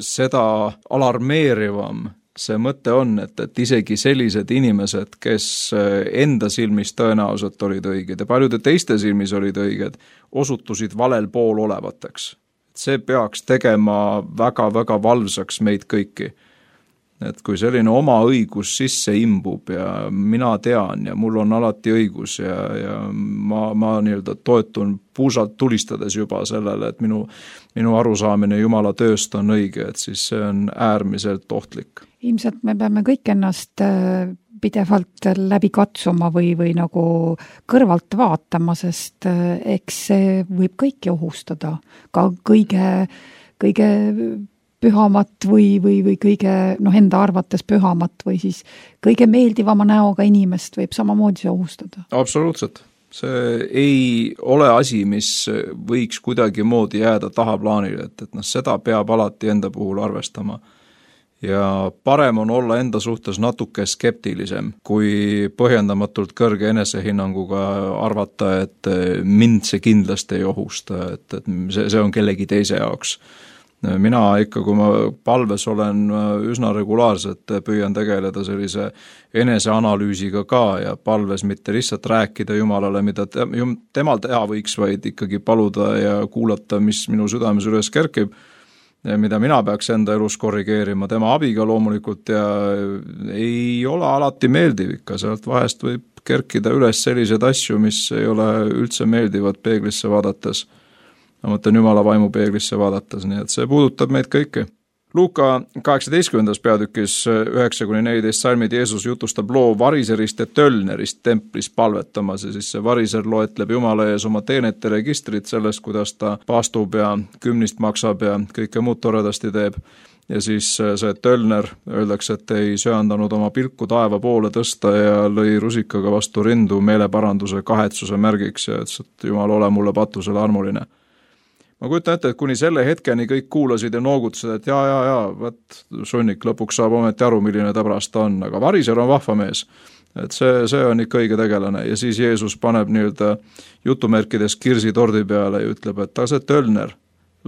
seda alarmeerivam see mõte on, et isegi sellised inimesed, kes enda silmis tõenäoliselt olid õiged ja paljude teiste silmis olid õiged, osutusid valel pool olevateks. See peaks tegema väga-väga valvsaks meid kõiki. Et kui selline oma õigus sisse imbub ja mina tean ja mul on alati õigus ja ma nii-öelda toetun puusalt tulistades juba sellele, et minu arusaamine Jumala tööst on õige, et siis see on äärmiselt ohtlik. Ilmselt me peame kõik ennast pidevalt läbi katsuma või nagu kõrvalt vaatama, sest eks see võib kõiki ohustada, ka kõige pühamat või kõige enda arvates pühamat või siis kõige meeldivama näoga inimest võib samamoodi see ohustada. Absoluutselt. See ei ole asi, mis võiks kuidagi moodi jääda tahaplaanile, et seda peab alati enda puhul arvestama. Ja parem on olla enda suhtes natuke skeptilisem, kui põhjendamatult kõrge enesehinnanguga arvata, et mind see kindlasti ei ohusta, et see on kellegi teise jaoks. Mina ikka, kui ma palves olen üsna regulaarselt, püüan tegeleda sellise eneseanalüüsiga ka ja palves mitte lihtsalt rääkida Jumalale, mida temal teha võiks, vaid ikkagi paluda ja kuulata, mis minu südames üles kerkib, mida mina peaks enda elus korrigeerima, tema abiga loomulikult ja ei ole alati meeldiv ikka, sealt vahest võib kerkida üles selliseid asju, mis ei ole üldse meeldivad peeglisse vaadates. Ma mõtlen Jumala vaimu peeglisse vaadates, nii et see puudutab meid kõiki. Luuka 18. peatükis 9-14 salmid Jeesus jutustab loo variserist ja tölnerist templis palvetamas ja siis see variser loetleb Jumala ees oma teenete registrit sellest, kuidas ta paastub ja kümnist maksab ja kõike muud toredasti teeb. Ja siis see tölner, öeldakse, et ei söandanud oma pilku taeva poole tõsta ja lõi rusikaga vastu rindu meeleparanduse kahetsuse märgiks ja ütles, et Jumal, ole mulle patusele armuline. Ma kujutan ette, et kuni selle hetkeni kõik kuulasid ja noogutasid, et võt sunnik lõpuks saab ometi aru, milline täbras ta on, aga variser on vahva mees. Et see on ikka õige tegelane ja siis Jeesus paneb nii-öelda jutumärkides kirsi tordi peale ja ütleb, et see tölner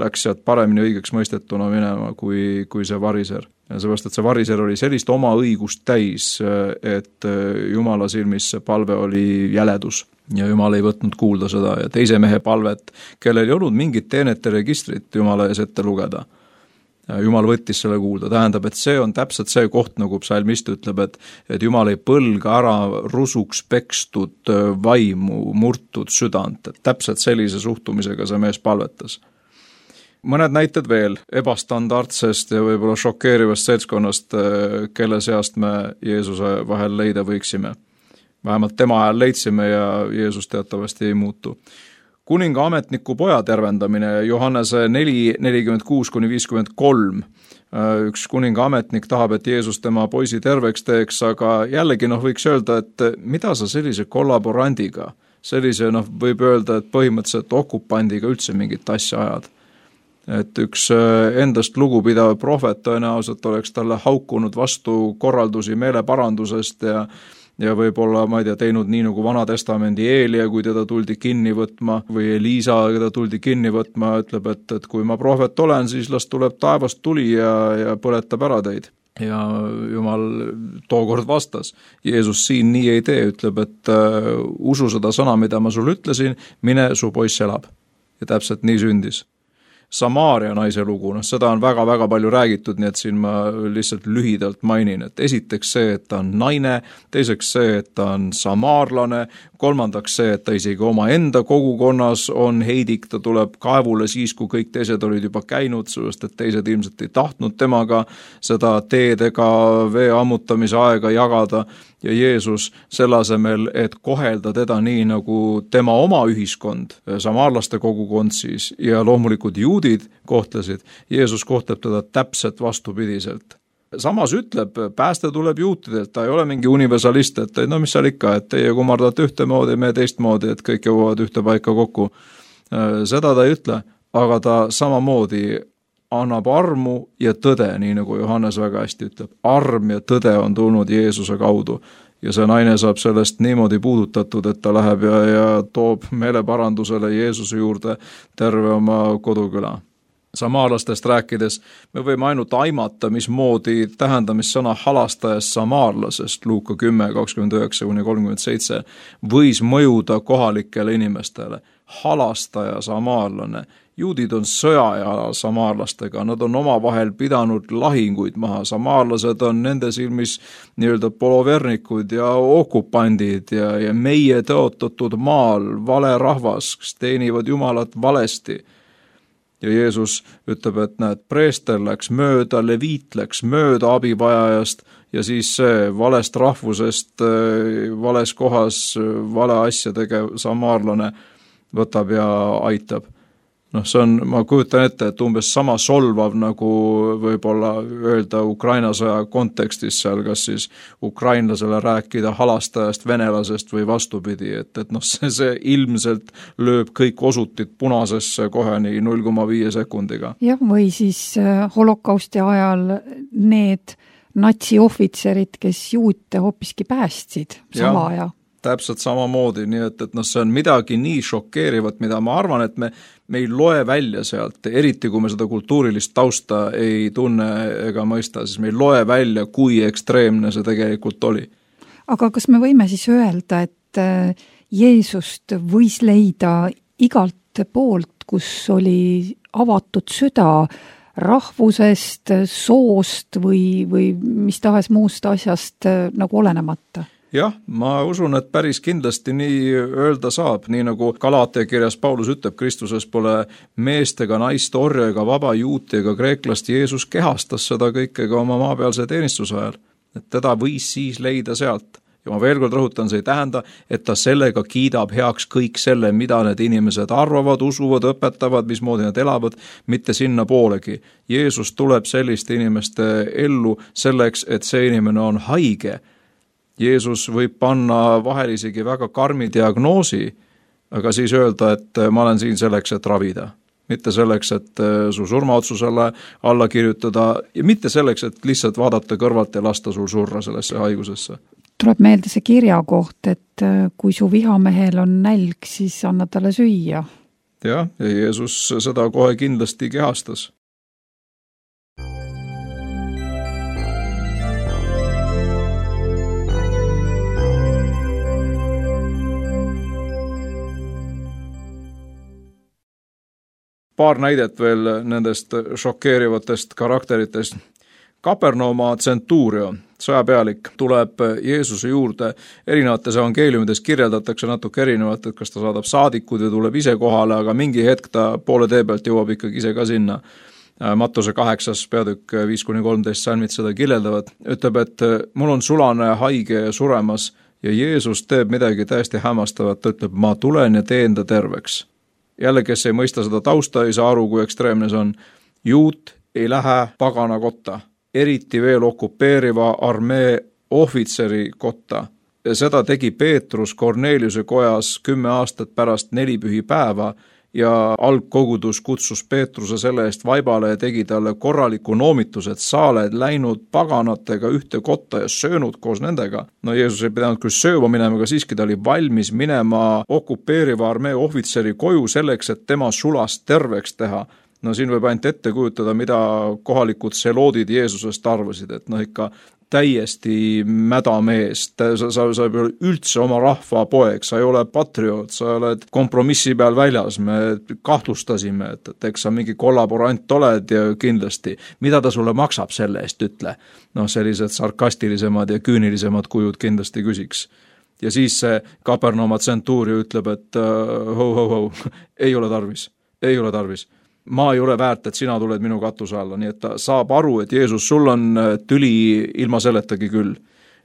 läks sealt paremini õigeks mõistetuna minema kui see variser. Ja seepärast, et see variser oli sellist oma õigust täis, et Jumala silmis see palve oli jäledus. Ja Jumal ei võtnud kuulda seda ja teise mehe palvet, kellel ei olnud mingit teenete registrit Jumala ees ette lugeda. Jumal võttis selle kuulda, tähendab, et see on täpselt see koht, nagu psalmist ütleb, et Jumal ei põlga ära rusuks pekstud vaimu, murtud südant, et täpselt sellise suhtumisega see mees palvetas. Mõned näited veel ebastandardsest ja võib-olla šokeerivast seltskonnast, kelle seast me Jeesuse vahel leida võiksime. Vähemalt tema ajal leidsime ja Jeesus teatavasti ei muutu. Kuninga ametniku poja tervendamine Johannese 4:46-53. Üks kuninga ametnik tahab, et Jeesus tema poisi terveks teeks, aga jällegi võiks öelda, et mida sa sellise kollaborandiga, sellise võib öelda, et põhimõtteliselt okupandiga üldse mingit asja ajad. Et üks endast lugupidav prohvet tõenäoliselt oleks talle haukunud vastu korraldusi meeleparandusest ja võib-olla, ma ei tea, teinud nii nagu Vana Testamendi Eelia, kui teda tuldi kinni võtma, või Eliisa, keda tuldi kinni võtma, ütleb, et kui ma prohvet olen, siis las tuleb taevast tuli ja põletab ära teid. Ja Jumal tookord vastas. Jeesus siin nii ei tee, ütleb, et usu seda sõna, mida ma sulle ütlesin, mine, su poiss elab. Ja täpselt nii sündis. Samaaria naise lugu, seda on väga-väga palju räägitud, nii et siin ma lihtsalt lühidalt mainin, et esiteks see, et ta on naine, teiseks see, et ta on samaarlane, kolmandaks see, et ta isegi oma enda kogukonnas on heidik, ta tuleb kaevule siis, kui kõik teised olid juba käinud, sest et teised ilmselt ei tahtnud temaga seda teed ega vee ammutamise aega jagada ja Jeesus selle asemel, et kohelda teda nii nagu tema oma ühiskond, samaarlaste kogukond siis ja loomulikult juudid kohtlesid, Jeesus kohtleb teda täpselt vastupidiselt. Samas ütleb, pääste tuleb juutidelt, ta ei ole mingi universalist, et mis seal ikka, et teie kummardate ühtemoodi, me teistmoodi, et kõik jõuavad ühte paika kokku. Seda ta ei ütle, aga ta samamoodi annab armu ja tõde, nii nagu Johannes väga hästi ütleb. Arm ja tõde on tulnud Jeesuse kaudu ja see naine saab sellest niimoodi puudutatud, et ta läheb ja toob meeleparandusele Jeesuse juurde terve oma koduküla. Samaarlastest rääkides me võime ainult aimata, mismoodi tähendamissõna halastajast samaarlasest Luuka 10:29-37 võis mõjuda kohalikele inimestele. Halastaja samaarlane. Juudid on sõjaajal samaarlastega, nad on omavahel pidanud lahinguid maha, samaarlased on nende silmis nii-öelda polovernikud ja okupandid ja meie tõotatud maal vale rahvas, kes teenivad Jumalat valesti. Ja Jeesus ütleb, et näed, preester läks mööda, leviit läks mööda abivajajast ja siis see valest rahvusest, vales kohas, vale asja tegev samaarlane võtab ja aitab. See on, ma kujutan ette, et umbes sama solvav nagu võib-olla öelda Ukraina sõja kontekstis seal, kas siis ukrainlasele rääkida halastajast, venelasest või vastupidi, et see ilmselt lööb kõik osutid punasesse kohe nii 0,5 sekundiga. Jah, või siis holokausti ajal need natsiohvitserid, kes juute hoopiski päästsid sama aja. Täpselt samamoodi, nii et see on midagi nii šokeerivat, mida ma arvan, et me ei loe välja sealt, eriti kui me seda kultuurilist tausta ei tunne ega mõista, siis me ei loe välja, kui ekstreemne see tegelikult oli. Aga kas me võime siis öelda, et Jeesust võis leida igalt poolt, kus oli avatud süda rahvusest, soost või mis tahes muust asjast nagu olenemata? Jah, ma usun, et päris kindlasti nii öelda saab, nii nagu Galaatia kirjas Paulus ütleb, Kristuses pole meest ega naist, orja ega vaba juuti ega kreeklast, Jeesus kehastas seda kõikega oma maapealse teenistuse ajal, et teda võis siis leida sealt. Ja ma veel kord rõhutan, see ei tähenda, et ta sellega kiidab heaks kõik selle, mida need inimesed arvavad, usuvad, õpetavad, mismoodi nad elavad, mitte sinna poolegi. Jeesus tuleb selliste inimeste ellu selleks, et see inimene on haige. Jeesus võib panna vahel isegi väga karmi diagnoosi, aga siis öelda, et ma olen siin selleks, et ravida. Mitte selleks, et su surmaotsusele alla kirjutada ja mitte selleks, et lihtsalt vaadata kõrvalt ja lasta sul surra sellesse haigusesse. Tuleb meelde see kirja koht, et kui su vihamehel on nälg, siis anna talle süüa. Ja Jeesus seda kohe kindlasti kehastas. Paar näidet veel nendest šokeerivatest karakteritest. Kapernauma tsentuurio, sõjapealik, tuleb Jeesuse juurde. Erinevates evangeeliumides kirjeldatakse natuke erinevalt, et kas ta saadab saadikud ja tuleb ise kohale, aga mingi hetk ta poole tee pealt jõuab ikkagi ise ka sinna. Mattuse 8. peatükk 5-13 salmid seda kirjeldavad. Ütleb, et mul on sulane haige ja suremas ja Jeesus teeb midagi täiesti hämmastavat. Ta ütleb, ma tulen ja teen ta terveks. Jälle, kes ei mõista seda tausta, ei saa aru, kui ekstreemne see on. Juut ei lähe pagana kotta, eriti veel okupeeriva armee ohvitseri kotta. Ja seda tegi Peetrus Korneliuse kojas 10 aastat pärast 4 pühipäeva ja algkogudus kutsus Peetruse selle eest vaibale ja tegi talle korraliku noomituse, et sa oled läinud paganatega ühte kotta ja söönud koos nendega. No Jeesus ei pidanud küll sööma minema, aga siiski ta oli valmis minema okupeeriva armee ohvitseri koju selleks, et tema sulast terveks teha. No siin võib ainult ette kujutada, mida kohalikud seloodid Jeesusest arvasid, et ikka täiesti mädamees, sa ei ole üldse oma rahva poeg, sa ei ole patrioot, sa oled kompromissi peal väljas, me kahtlustasime, et eks sa mingi kollaborant oled ja kindlasti, mida ta sulle maksab selle eest, ütle. Sellised sarkastilisemad ja küünilisemad kujud kindlasti küsiks. Ja siis see Kapernauma tsentuurio ütleb, et ei ole tarvis. Ma ei ole väärt, et sina tuled minu katuse alla, nii et ta saab aru, et Jeesus, sul on tüli ilma seletagi küll.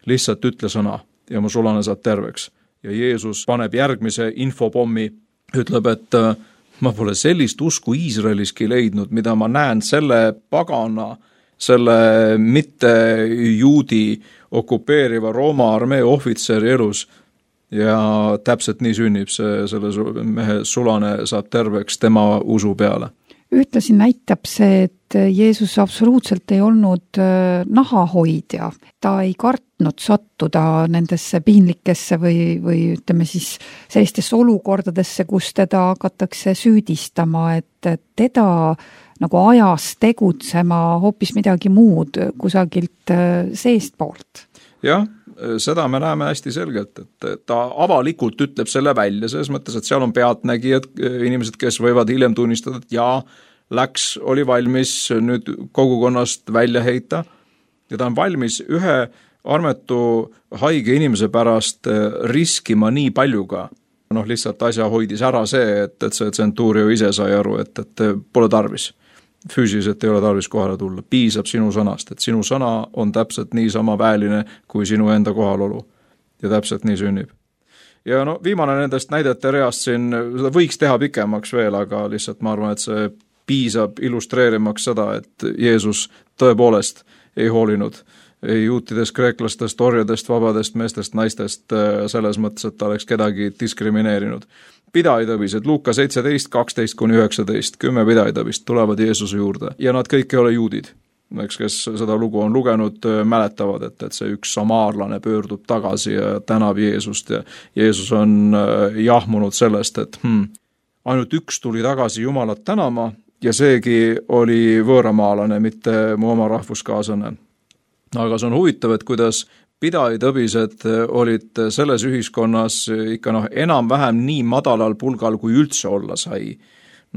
Lihtsalt ütle sõna ja mu sulane saab terveks. Ja Jeesus paneb järgmise infopommi, ütleb, et ma pole sellist usku Iisraeliski leidnud, mida ma näen selle pagana, selle mitte juudi okupeeriva Rooma armee ohvitseri elus. ja täpselt nii sünnib selle mehe sulane saab terveks tema usu peale. Ühtlasi näitab see, et Jeesus absoluutselt ei olnud nahahoidja. Ta ei kartnud sattuda nendesse piinlikesse või ütleme siis sellistesse olukordadesse, kus teda hakatakse süüdistama, et teda nagu ajas tegutsema hoopis midagi muud kusagilt seestpoolt. Jah, seda me näeme hästi selgelt, et ta avalikult ütleb selle välja, selles mõttes, et seal on pealtnägijad, inimesed, kes võivad hiljem tunnistada, et jaa, oli valmis nüüd kogukonnast välja heita ja ta on valmis ühe armetu haige inimese pärast riskima nii paljuga. Lihtsalt asja hoidis ära see, et see tsentuurio ise sai aru, et pole tarvis. Füüsiliselt ei ole tarvis kohale tulla. Piisab sinu sõnast, et sinu sõna on täpselt nii sama väeline kui sinu enda kohalolu. Ja täpselt nii sünnib. Ja viimane nendest näidete reast siin, seda võiks teha pikemaks veel, aga lihtsalt ma arvan, et see piisab illustreerimaks seda, et Jeesus tõepoolest ei hoolinud ei juutidest, kreeklastest, orjadest, vabadest meestest, naistest selles mõttes, et ta oleks kedagi diskrimineerinud. Pidaitõbised, Luuka 17, 12-19, 10 pidaitõbist tulevad Jeesuse juurde ja nad kõik ei ole juudid. Kes seda lugu on lugenud, mäletavad, et see üks samaarlane pöördub tagasi ja tänab Jeesust ja Jeesus on jahmunud sellest, et ainult üks tuli tagasi Jumalat tänama ja seegi oli võõramaalane, mitte mu oma rahvuskaaslane. Aga see on huvitav, et kuidas pidaitõbised olid selles ühiskonnas ikka enam-vähem nii madalal pulgal, kui üldse olla sai.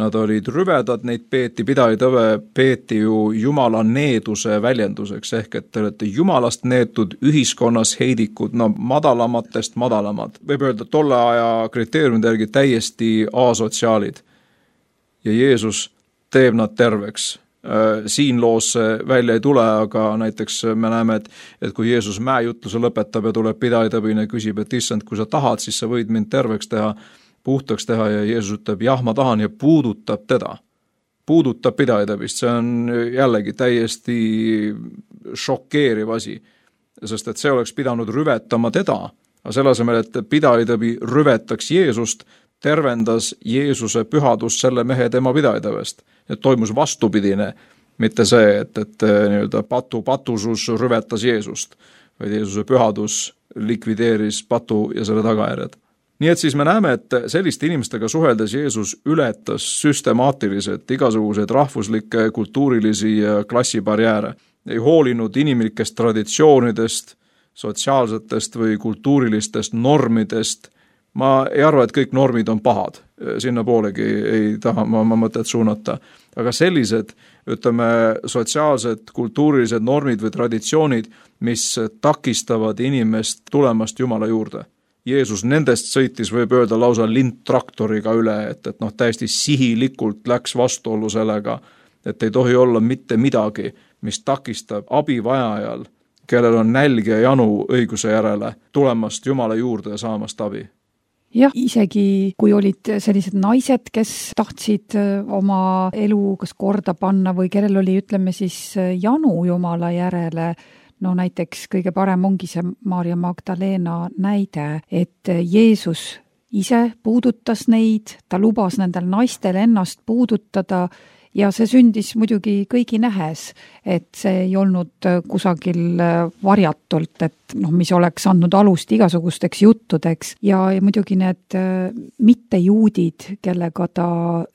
Nad olid rüvedad, neid pidaitõve peeti ju Jumala needuse väljenduseks, ehk et te olete Jumalast neetud ühiskonnas heidikud, madalamatest madalamad. Võib öelda tolle aja kriteeriumide järgi täiesti asotsiaalid. Ja Jeesus teeb nad terveks. Siin loos välja ei tule, aga näiteks me näeme, et kui Jeesus mäejutluse lõpetab ja tuleb pidaitõbine ja küsib, et issand, kui sa tahad, siis sa võid mind terveks teha, puhtaks teha ja Jeesus ütleb, jah, ma tahan ja puudutab teda. Puudutab pidaitõbist, see on jällegi täiesti šokeeriv asi, sest et see oleks pidanud rüvetama teda, aga selle asemel, et pidaitõbi rüvetaks Jeesust, tervendas Jeesuse pühadus selle mehe tema pidaitõvest. Et toimus vastupidine, mitte see, et nii-öelda patusus rüvetas Jeesust, vaid Jeesuse pühadus likvideeris patu ja selle tagajärjed. Nii et siis me näeme, et selliste inimestega suheldes Jeesus ületas süstemaatiliselt igasuguseid rahvuslikke, kultuurilisi ja klassibarjääre. Ei hoolinud inimlikest traditsioonidest, sotsiaalsetest või kultuurilistest normidest. Ma ei arva, et kõik normid on pahad, sinna poolegi ei taha ma mõtet suunata, aga sellised, ütleme, sotsiaalsed, kultuurilised normid või traditsioonid, mis takistavad inimest tulemast Jumala juurde. Jeesus nendest sõitis, võib öelda, lausa lindtraktoriga üle, et täiesti sihilikult läks vastuollu sellega, et ei tohi olla mitte midagi, mis takistab abivajajal, kellel on nälg ja janu õiguse järele, tulemast Jumala juurde ja saamast abi. Jah, isegi kui olid sellised naised, kes tahtsid oma elu kas korda panna või kellel oli, ütleme siis, janu Jumala järele, näiteks kõige parem ongi see Maarja Magdalena näide, et Jeesus ise puudutas neid, ta lubas nendel naistel ennast puudutada ja see sündis muidugi kõigi nähes, et see ei olnud kusagil varjatult, et mis oleks andnud alust igasugusteks juttudeks ja muidugi need mittejuudid, kellega ta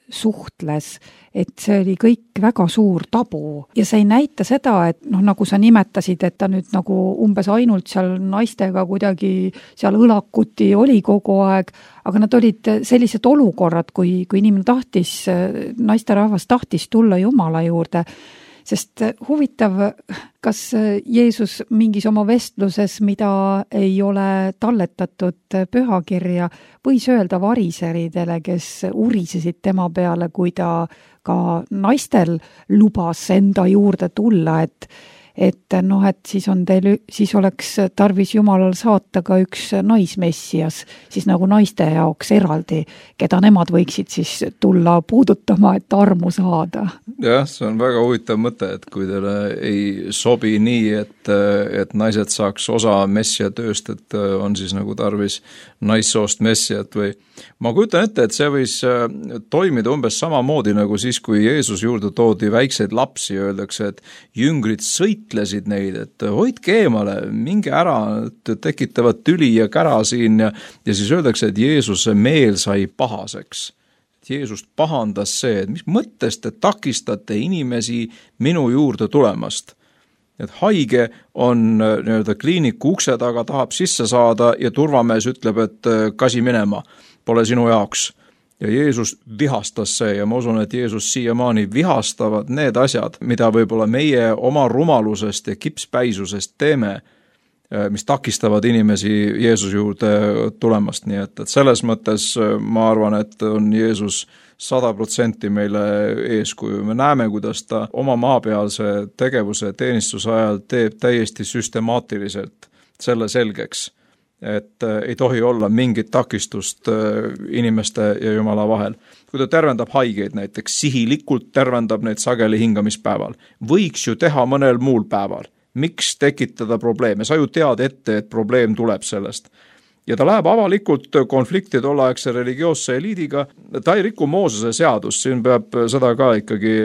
suhtles, et see oli kõik väga suur tabu ja see ei näita seda, et nagu sa nimetasid, et ta nüüd nagu umbes ainult seal naistega kuidagi seal õlakuti oli kogu aeg, aga nad olid sellised olukorrad, kui inimene tahtis, naisterahvas tahtis tulla Jumala juurde, sest huvitav, kas Jeesus mingis oma vestluses, mida ei ole talletatud pühakirja, võis öelda variseridele, kes urisesid tema peale, kui ta ka naistel lubas enda juurde tulla, et noh, et siis oleks tarvis Jumalal saata ka üks naismessias, siis nagu naiste jaoks eraldi, keda nemad võiksid siis tulla puudutama, et armu saada. Jah, see on väga huvitav mõte, et kui teile ei sobi nii, et naised saaks osa messia tööst, et on siis nagu tarvis naissoost messiat või ma kujutan ette, et see võis toimida umbes samamoodi nagu siis, kui Jeesus juurde toodi väikseid lapsi ja öeldakse, et jüngrid sõitlesid neid, et hoidke eemale, minge ära, tekitavad tüli ja kära siin ja siis öeldakse, et Jeesuse meel sai pahaseks. Jeesust pahandas see, et mis mõttest te takistate inimesi minu juurde tulemast. Et haige on kliiniku ukse taga, tahab sisse saada ja turvamees ütleb, et kasi minema, pole sinu jaoks. Ja Jeesus vihastas see ja ma usun, et Jeesus siiamaani vihastavad need asjad, mida võib-olla meie oma rumalusest ja kipspäisusest teeme, mis takistavad inimesi Jeesuse juurde tulemast. Nii et selles mõttes ma arvan, et on Jeesus 100% meile eeskuju. Me näeme, kuidas ta oma maapealse tegevuse teenistuse ajal teeb täiesti süstemaatiliselt selle selgeks, et ei tohi olla mingit takistust inimeste ja Jumala vahel. Kui ta tervendab haigeid näiteks, sihilikult tervendab neid sageli hingamispäeval. Võiks ju teha mõnel muul päeval. Miks tekitada probleeme? Sa ju tead ette, et probleem tuleb sellest. Ja ta läheb avalikult konflikti tolleaegse religioosse eliidiga. Ta ei riku Moosese seadust, siin peab seda ka ikkagi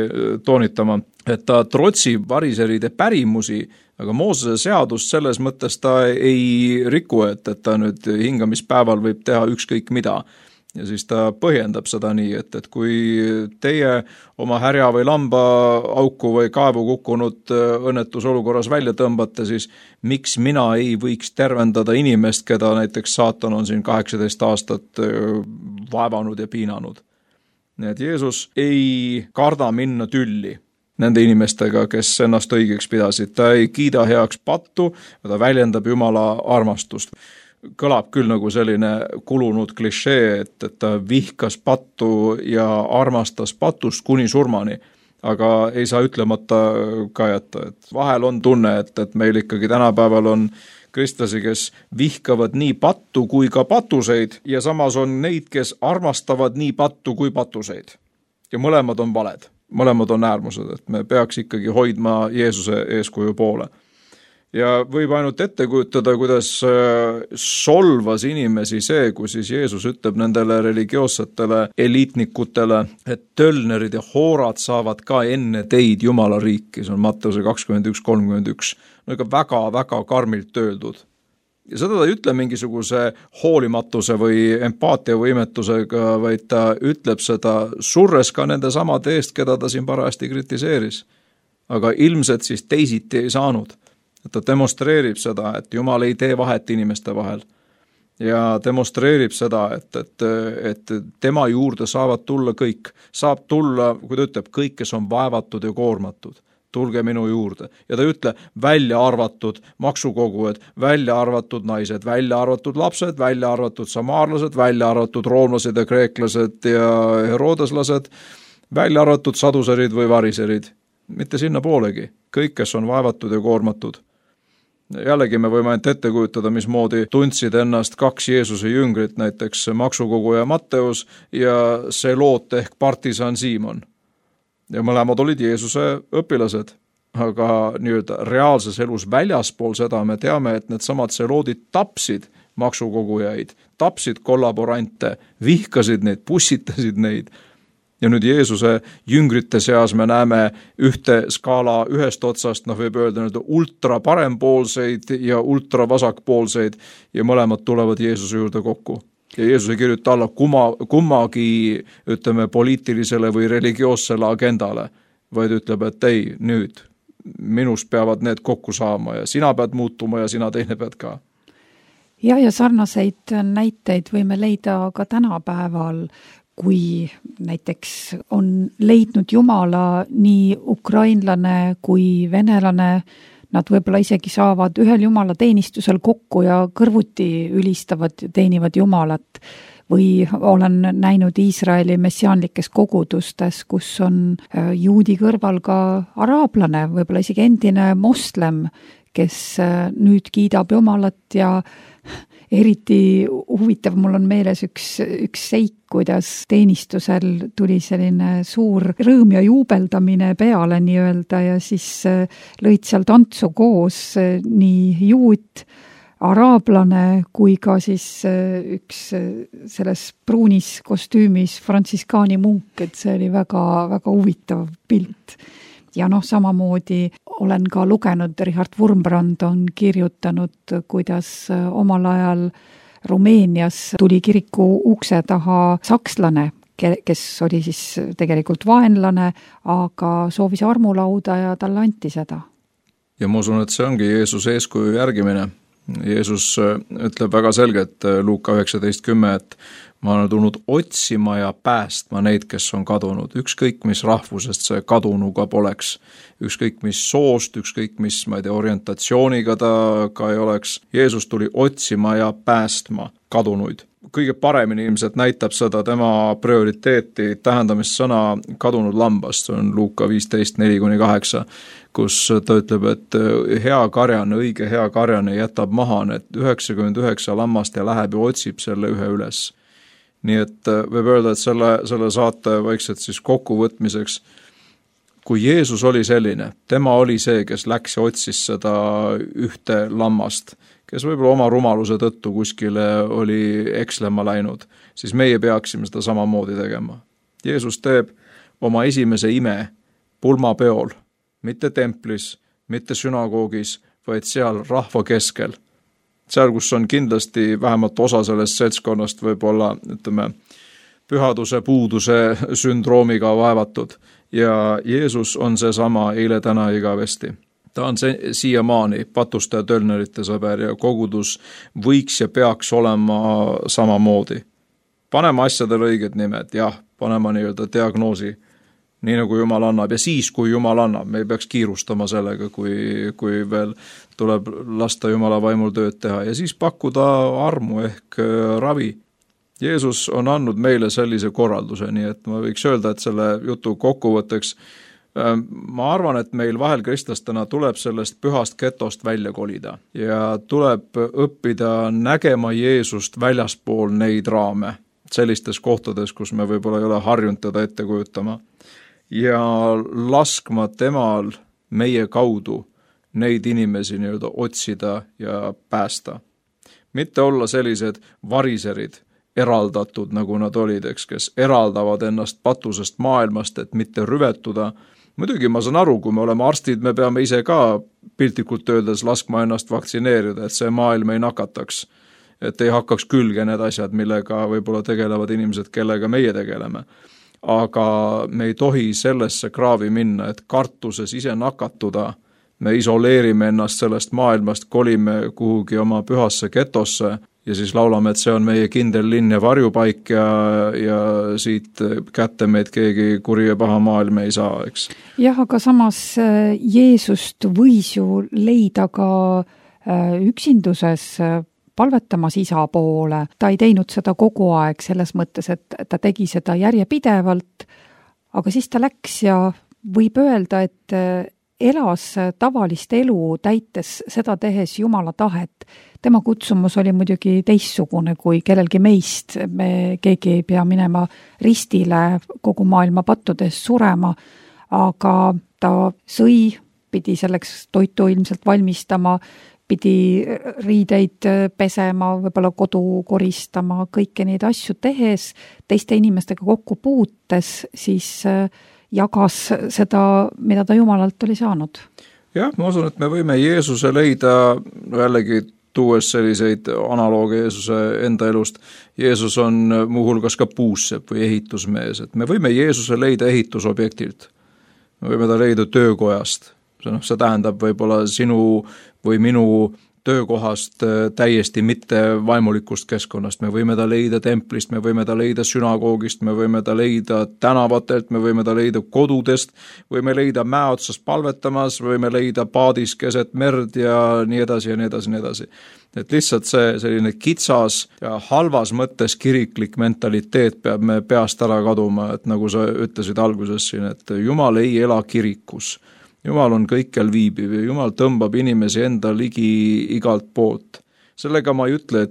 toonitama, et ta trotsib variseride pärimusi, aga Moosese seadust selles mõttes ta ei riku, et ta nüüd hingamispäeval võib teha ükskõik mida. Ja siis ta põhjendab seda nii, et kui teie oma härja või lamba auku või kaevu kukkunud õnnetusolukorras välja tõmbate, siis miks mina ei võiks tervendada inimest, keda näiteks saatan on siin 18 aastat vaevanud ja piinanud. Nii et Jeesus ei karda minna tülli nende inimestega, kes ennast õigeks pidasid. Ta ei kiida heaks pattu, ta väljendab Jumala armastust. Kõlab küll nagu selline kulunud klišee, et ta vihkas pattu ja armastas patust kuni surmani, aga ei saa ütlemata ka jätta. Et vahel on tunne, et meil ikkagi tänapäeval on kristlasi, kes vihkavad nii pattu kui ka patuseid ja samas on neid, kes armastavad nii pattu kui patuseid. Ja mõlemad on valed, mõlemad on äärmused, et me peaks ikkagi hoidma Jeesuse eeskuju poole. Ja võib ainult ette kujutada, kuidas solvas inimesi see, kui siis Jeesus ütleb nendele religioossetele eliitnikutele, et tölnerid ja hoorad saavad ka enne teid Jumala riiki. See on Matteuse 21:31. No ikka väga-väga karmilt öeldud. Ja seda ta ei ütle mingisuguse hoolimatuse või empaatiavõimetusega, vaid ta ütleb seda surres ka nende samade eest, keda ta siin parajasti kritiseeris. Aga ilmselt siis teisiti ei saanud. Et ta demonstreerib seda, et Jumal ei tee vahet inimeste vahel ja demonstreerib seda, et tema juurde saavad tulla kõik. Saab tulla, kui ta ütleb, kõik, kes on vaevatud ja koormatud. Tulge minu juurde. Ja ta ütle välja arvatud maksukogujad, välja arvatud naised, välja arvatud lapsed, välja arvatud samaarlased, välja arvatud roomlased ja kreeklased ja herodeslased, välja arvatud saduserid või variserid. Mitte sinna poolegi. Kõik, kes on vaevatud ja koormatud. Jällegi me võime ainult ette kujutada, mismoodi tundsid ennast kaks Jeesuse jüngrit, näiteks maksukoguja Matteus ja Seloot ehk partisan Siimon. Ja mõlemad olid Jeesuse õpilased, aga nii-öelda reaalses elus väljaspool seda me teame, et need samad Seloodid tapsid maksukogujaid, tapsid kollaborante, vihkasid neid, pussitasid neid. Ja nüüd Jeesuse jüngrite seas me näeme ühte skaala ühest otsast, võib öelda ultra parempoolseid ja ultra vasakpoolseid ja mõlemad tulevad Jeesuse juurde kokku. Ja Jeesus ei kirjuta alla kummagi, ütleme, poliitilisele või religioossele agendale, vaid ütleb, et ei, nüüd minust peavad need kokku saama ja sina pead muutuma ja sina teine pead ka. Ja sarnaseid näiteid võime leida ka tänapäeval, kui näiteks on leidnud Jumala nii ukrainlane kui venelane, nad võib-olla isegi saavad ühel Jumala teenistusel kokku ja kõrvuti ülistavad ja teenivad Jumalat. või olen näinud Iisraeli messiaanlikes kogudustes, kus on juudi kõrval ka araablane, võib-olla isegi endine moslem, kes nüüd kiidab Jumalat ja eriti huvitav, mul on meeles üks seik, kuidas teenistusel tuli selline suur rõõm ja juubeldamine peale nii-öelda ja siis lõid seal tantsu koos nii juut, araablane kui ka siis üks selles pruunis kostüümis frantsiskaani munk, et see oli väga, väga huvitav pilt. Ja samamoodi olen ka lugenud, Richard Wurmbrand on kirjutanud, kuidas omal ajal Rumeenias tuli kiriku ukse taha sakslane, kes oli siis tegelikult vaenlane, aga soovis armulauda ja talle anti seda. Ja ma usun, et see ongi Jeesuse eeskuju järgimine. Jeesus ütleb väga selgelt Luuka 19:10, et ma olen tulnud otsima ja päästma neid, kes on kadunud. Ükskõik, mis rahvusest see kadunuga poleks. Ükskõik, mis soost, ükskõik, mis, orientatsiooniga ta ka ei oleks. Jeesus tuli otsima ja päästma kadunuid. Kõige paremini ilmselt näitab seda tema prioriteeti tähendamissõna kadunud lambast. See on Luuka 15:4-8, kus ta ütleb, et hea karjane, õige hea karjane jätab maha need 99 lammast ja läheb ja otsib selle ühe üles. Nii et võib öelda, et selle saate vaikselt siis kokkuvõtmiseks, kui Jeesus oli selline, tema oli see, kes läks ja otsis seda ühte lammast, kes võib-olla oma rumaluse tõttu kuskile oli ekslema läinud, siis meie peaksime seda samamoodi tegema. Jeesus teeb oma esimese ime pulmapeol, mitte templis, mitte sünagoogis, vaid seal rahva keskel. Seal, kus on kindlasti vähemalt osa sellest seltskonnast võib-olla, pühaduse puuduse sündroomiga vaevatud. Ja Jeesus on seesama eile, täna ja igavesti. Ta on siiamaani patuste ja tölnerite sõber ja kogudus võiks ja peaks olema samamoodi. Panema asjadele õiged nimed, jah, panema nii-öelda diagnoosi, nii nagu Jumal annab ja siis, kui Jumal annab, me ei peaks kiirustama sellega, kui veel tuleb lasta Jumala vaimul tööd teha ja siis pakkuda armu ehk ravi. Jeesus on andnud meile sellise korralduse, nii et ma võiks öelda, et selle jutu kokkuvõtteks ma arvan, et meil vahel kristlastena tuleb sellest pühast getost välja kolida ja tuleb õppida nägema Jeesust väljaspool neid raame, sellistes kohtades, kus me võib-olla ei ole harjunud teda ette kujutama ja laskma temal meie kaudu neid inimesi nii-öelda otsida ja päästa. Mitte olla sellised variserid, eraldatud, nagu nad olid, kes eraldavad ennast patusest maailmast, et mitte rüvetuda. Muidugi ma saan aru, kui me oleme arstid, me peame ise ka piltlikult öeldes laskma ennast vaktsineerida, et see maailm ei nakataks, et ei hakkaks külge need asjad, millega võib-olla tegelevad inimesed, kellega meie tegeleme. Aga me ei tohi sellesse kraavi minna, et kartuses ise nakatuda, me isoleerime ennast sellest maailmast, kolime kuhugi oma pühasse getosse ja siis laulame, et see on meie kindel linn ja varjupaik ja siit kätte meid keegi kuri ja paha maailm ei saa, eks. Jah, aga samas Jeesust võis ju leida ka üksinduses palvetamas isa poole. Ta ei teinud seda kogu aeg selles mõttes, et ta tegi seda järjepidevalt, aga siis ta läks ja võib öelda, et elas tavalist elu täites seda tehes Jumala tahet. Tema kutsumus oli muidugi teistsugune kui kellelgi meist. Me keegi ei pea minema ristile kogu maailma pattudes surema, aga ta sõi, pidi selleks toitu ilmselt valmistama, pidi riideid pesema, võib-olla kodu koristama, kõiki neid asju tehes, teiste inimestega kokku puutes, siis jagas seda, mida ta Jumalalt oli saanud. Jah, ma usun, et me võime Jeesuse leida, jällegi tuues selliseid analooge Jeesuse enda elust. Jeesus on muuhulgas ka puussepp või ehitusmees, et me võime Jeesuse leida ehitusobjektilt. Me võime ta leida töökojast. See tähendab võib-olla sinu või minu töökohast, täiesti mitte vaimulikust keskkonnast, me võime ta leida templist, me võime ta leida sünagoogist, me võime ta leida tänavatelt, me võime ta leida kodudest, võime leida mäe otsas palvetamas, võime leida paadis keset merd ja nii edasi ja nii edasi ja nii edasi. Et lihtsalt see selline kitsas ja halvas mõttes kiriklik mentaliteet peab me peast ära kaduma, et nagu sa ütlesid alguses siin, et Jumal ei ela kirikus. Jumal on kõikjal viibiv ja Jumal tõmbab inimesi enda ligi igalt poolt. Sellega ma ei ütle,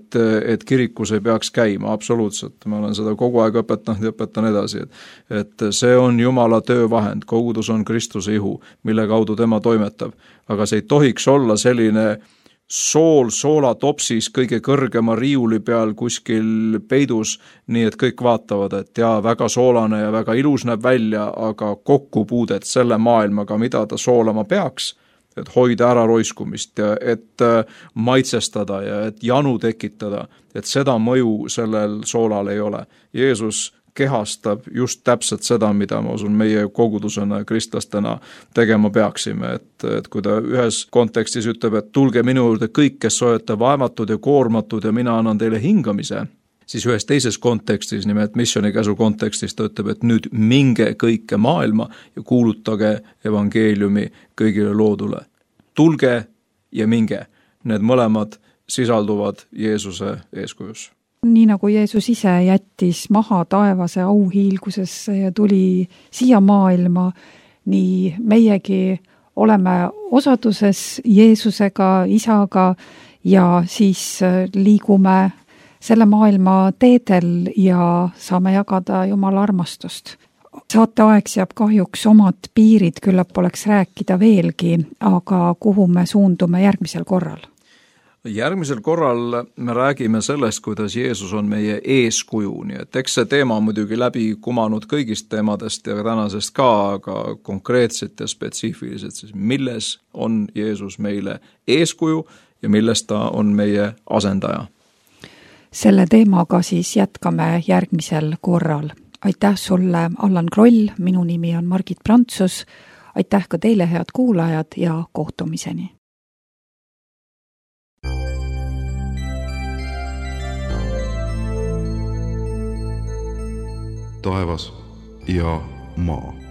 et kirikus ei peaks käima, absoluutselt. Ma olen seda kogu aeg õpetanud ja õpetan edasi, et see on Jumala töövahend, kogudus on Kristuse ihu, mille kaudu tema toimetab. Aga see ei tohiks olla selline soolatopsis kõige kõrgema riiuli peal kuskil peidus, nii et kõik vaatavad, et jaa, väga soolane ja väga ilus näeb välja, aga kokkupuudet selle maailmaga, mida ta soolama peaks, et hoida ära roiskumist ja et maitsestada ja et janu tekitada, et seda mõju sellel soolal ei ole. Jeesus kehastab just täpselt seda, mida ma usun meie kogudusena ja kristlastena tegema peaksime, et kui ta ühes kontekstis ütleb, et tulge minu juurde kõik, kes olete vaevatud ja koormatud ja mina annan teile hingamise, siis ühes teises kontekstis, nimelt missionikäsu kontekstis ta ütleb, et nüüd minge kõike maailma ja kuulutage evangeeliumi kõigile loodule. Tulge ja minge, need mõlemad sisalduvad Jeesuse eeskujus. Nii nagu Jeesus ise jättis maha taevase auhiilgusesse ja tuli siia maailma, nii meiegi oleme osaduses Jeesusega, isaga ja siis liigume selle maailma teedel ja saame jagada Jumala armastust. Saateaeg seab kahjuks omad piirid, küllap oleks rääkida veelgi, aga kuhu me suundume järgmisel korral? Järgmisel korral me räägime sellest, kuidas Jeesus on meie eeskuju, nii et eks see teema on muidugi läbi kumanud kõigist teemadest ja tänasest ka, aga konkreetselt ja spetsiifiliselt, siis milles on Jeesus meile eeskuju ja milles ta on meie asendaja. Selle teemaga siis jätkame järgmisel korral. Aitäh sulle, Allan Kroll, minu nimi on Margit Prantsus, aitäh ka teile, head kuulajad, ja kohtumiseni! Taevas ja maa.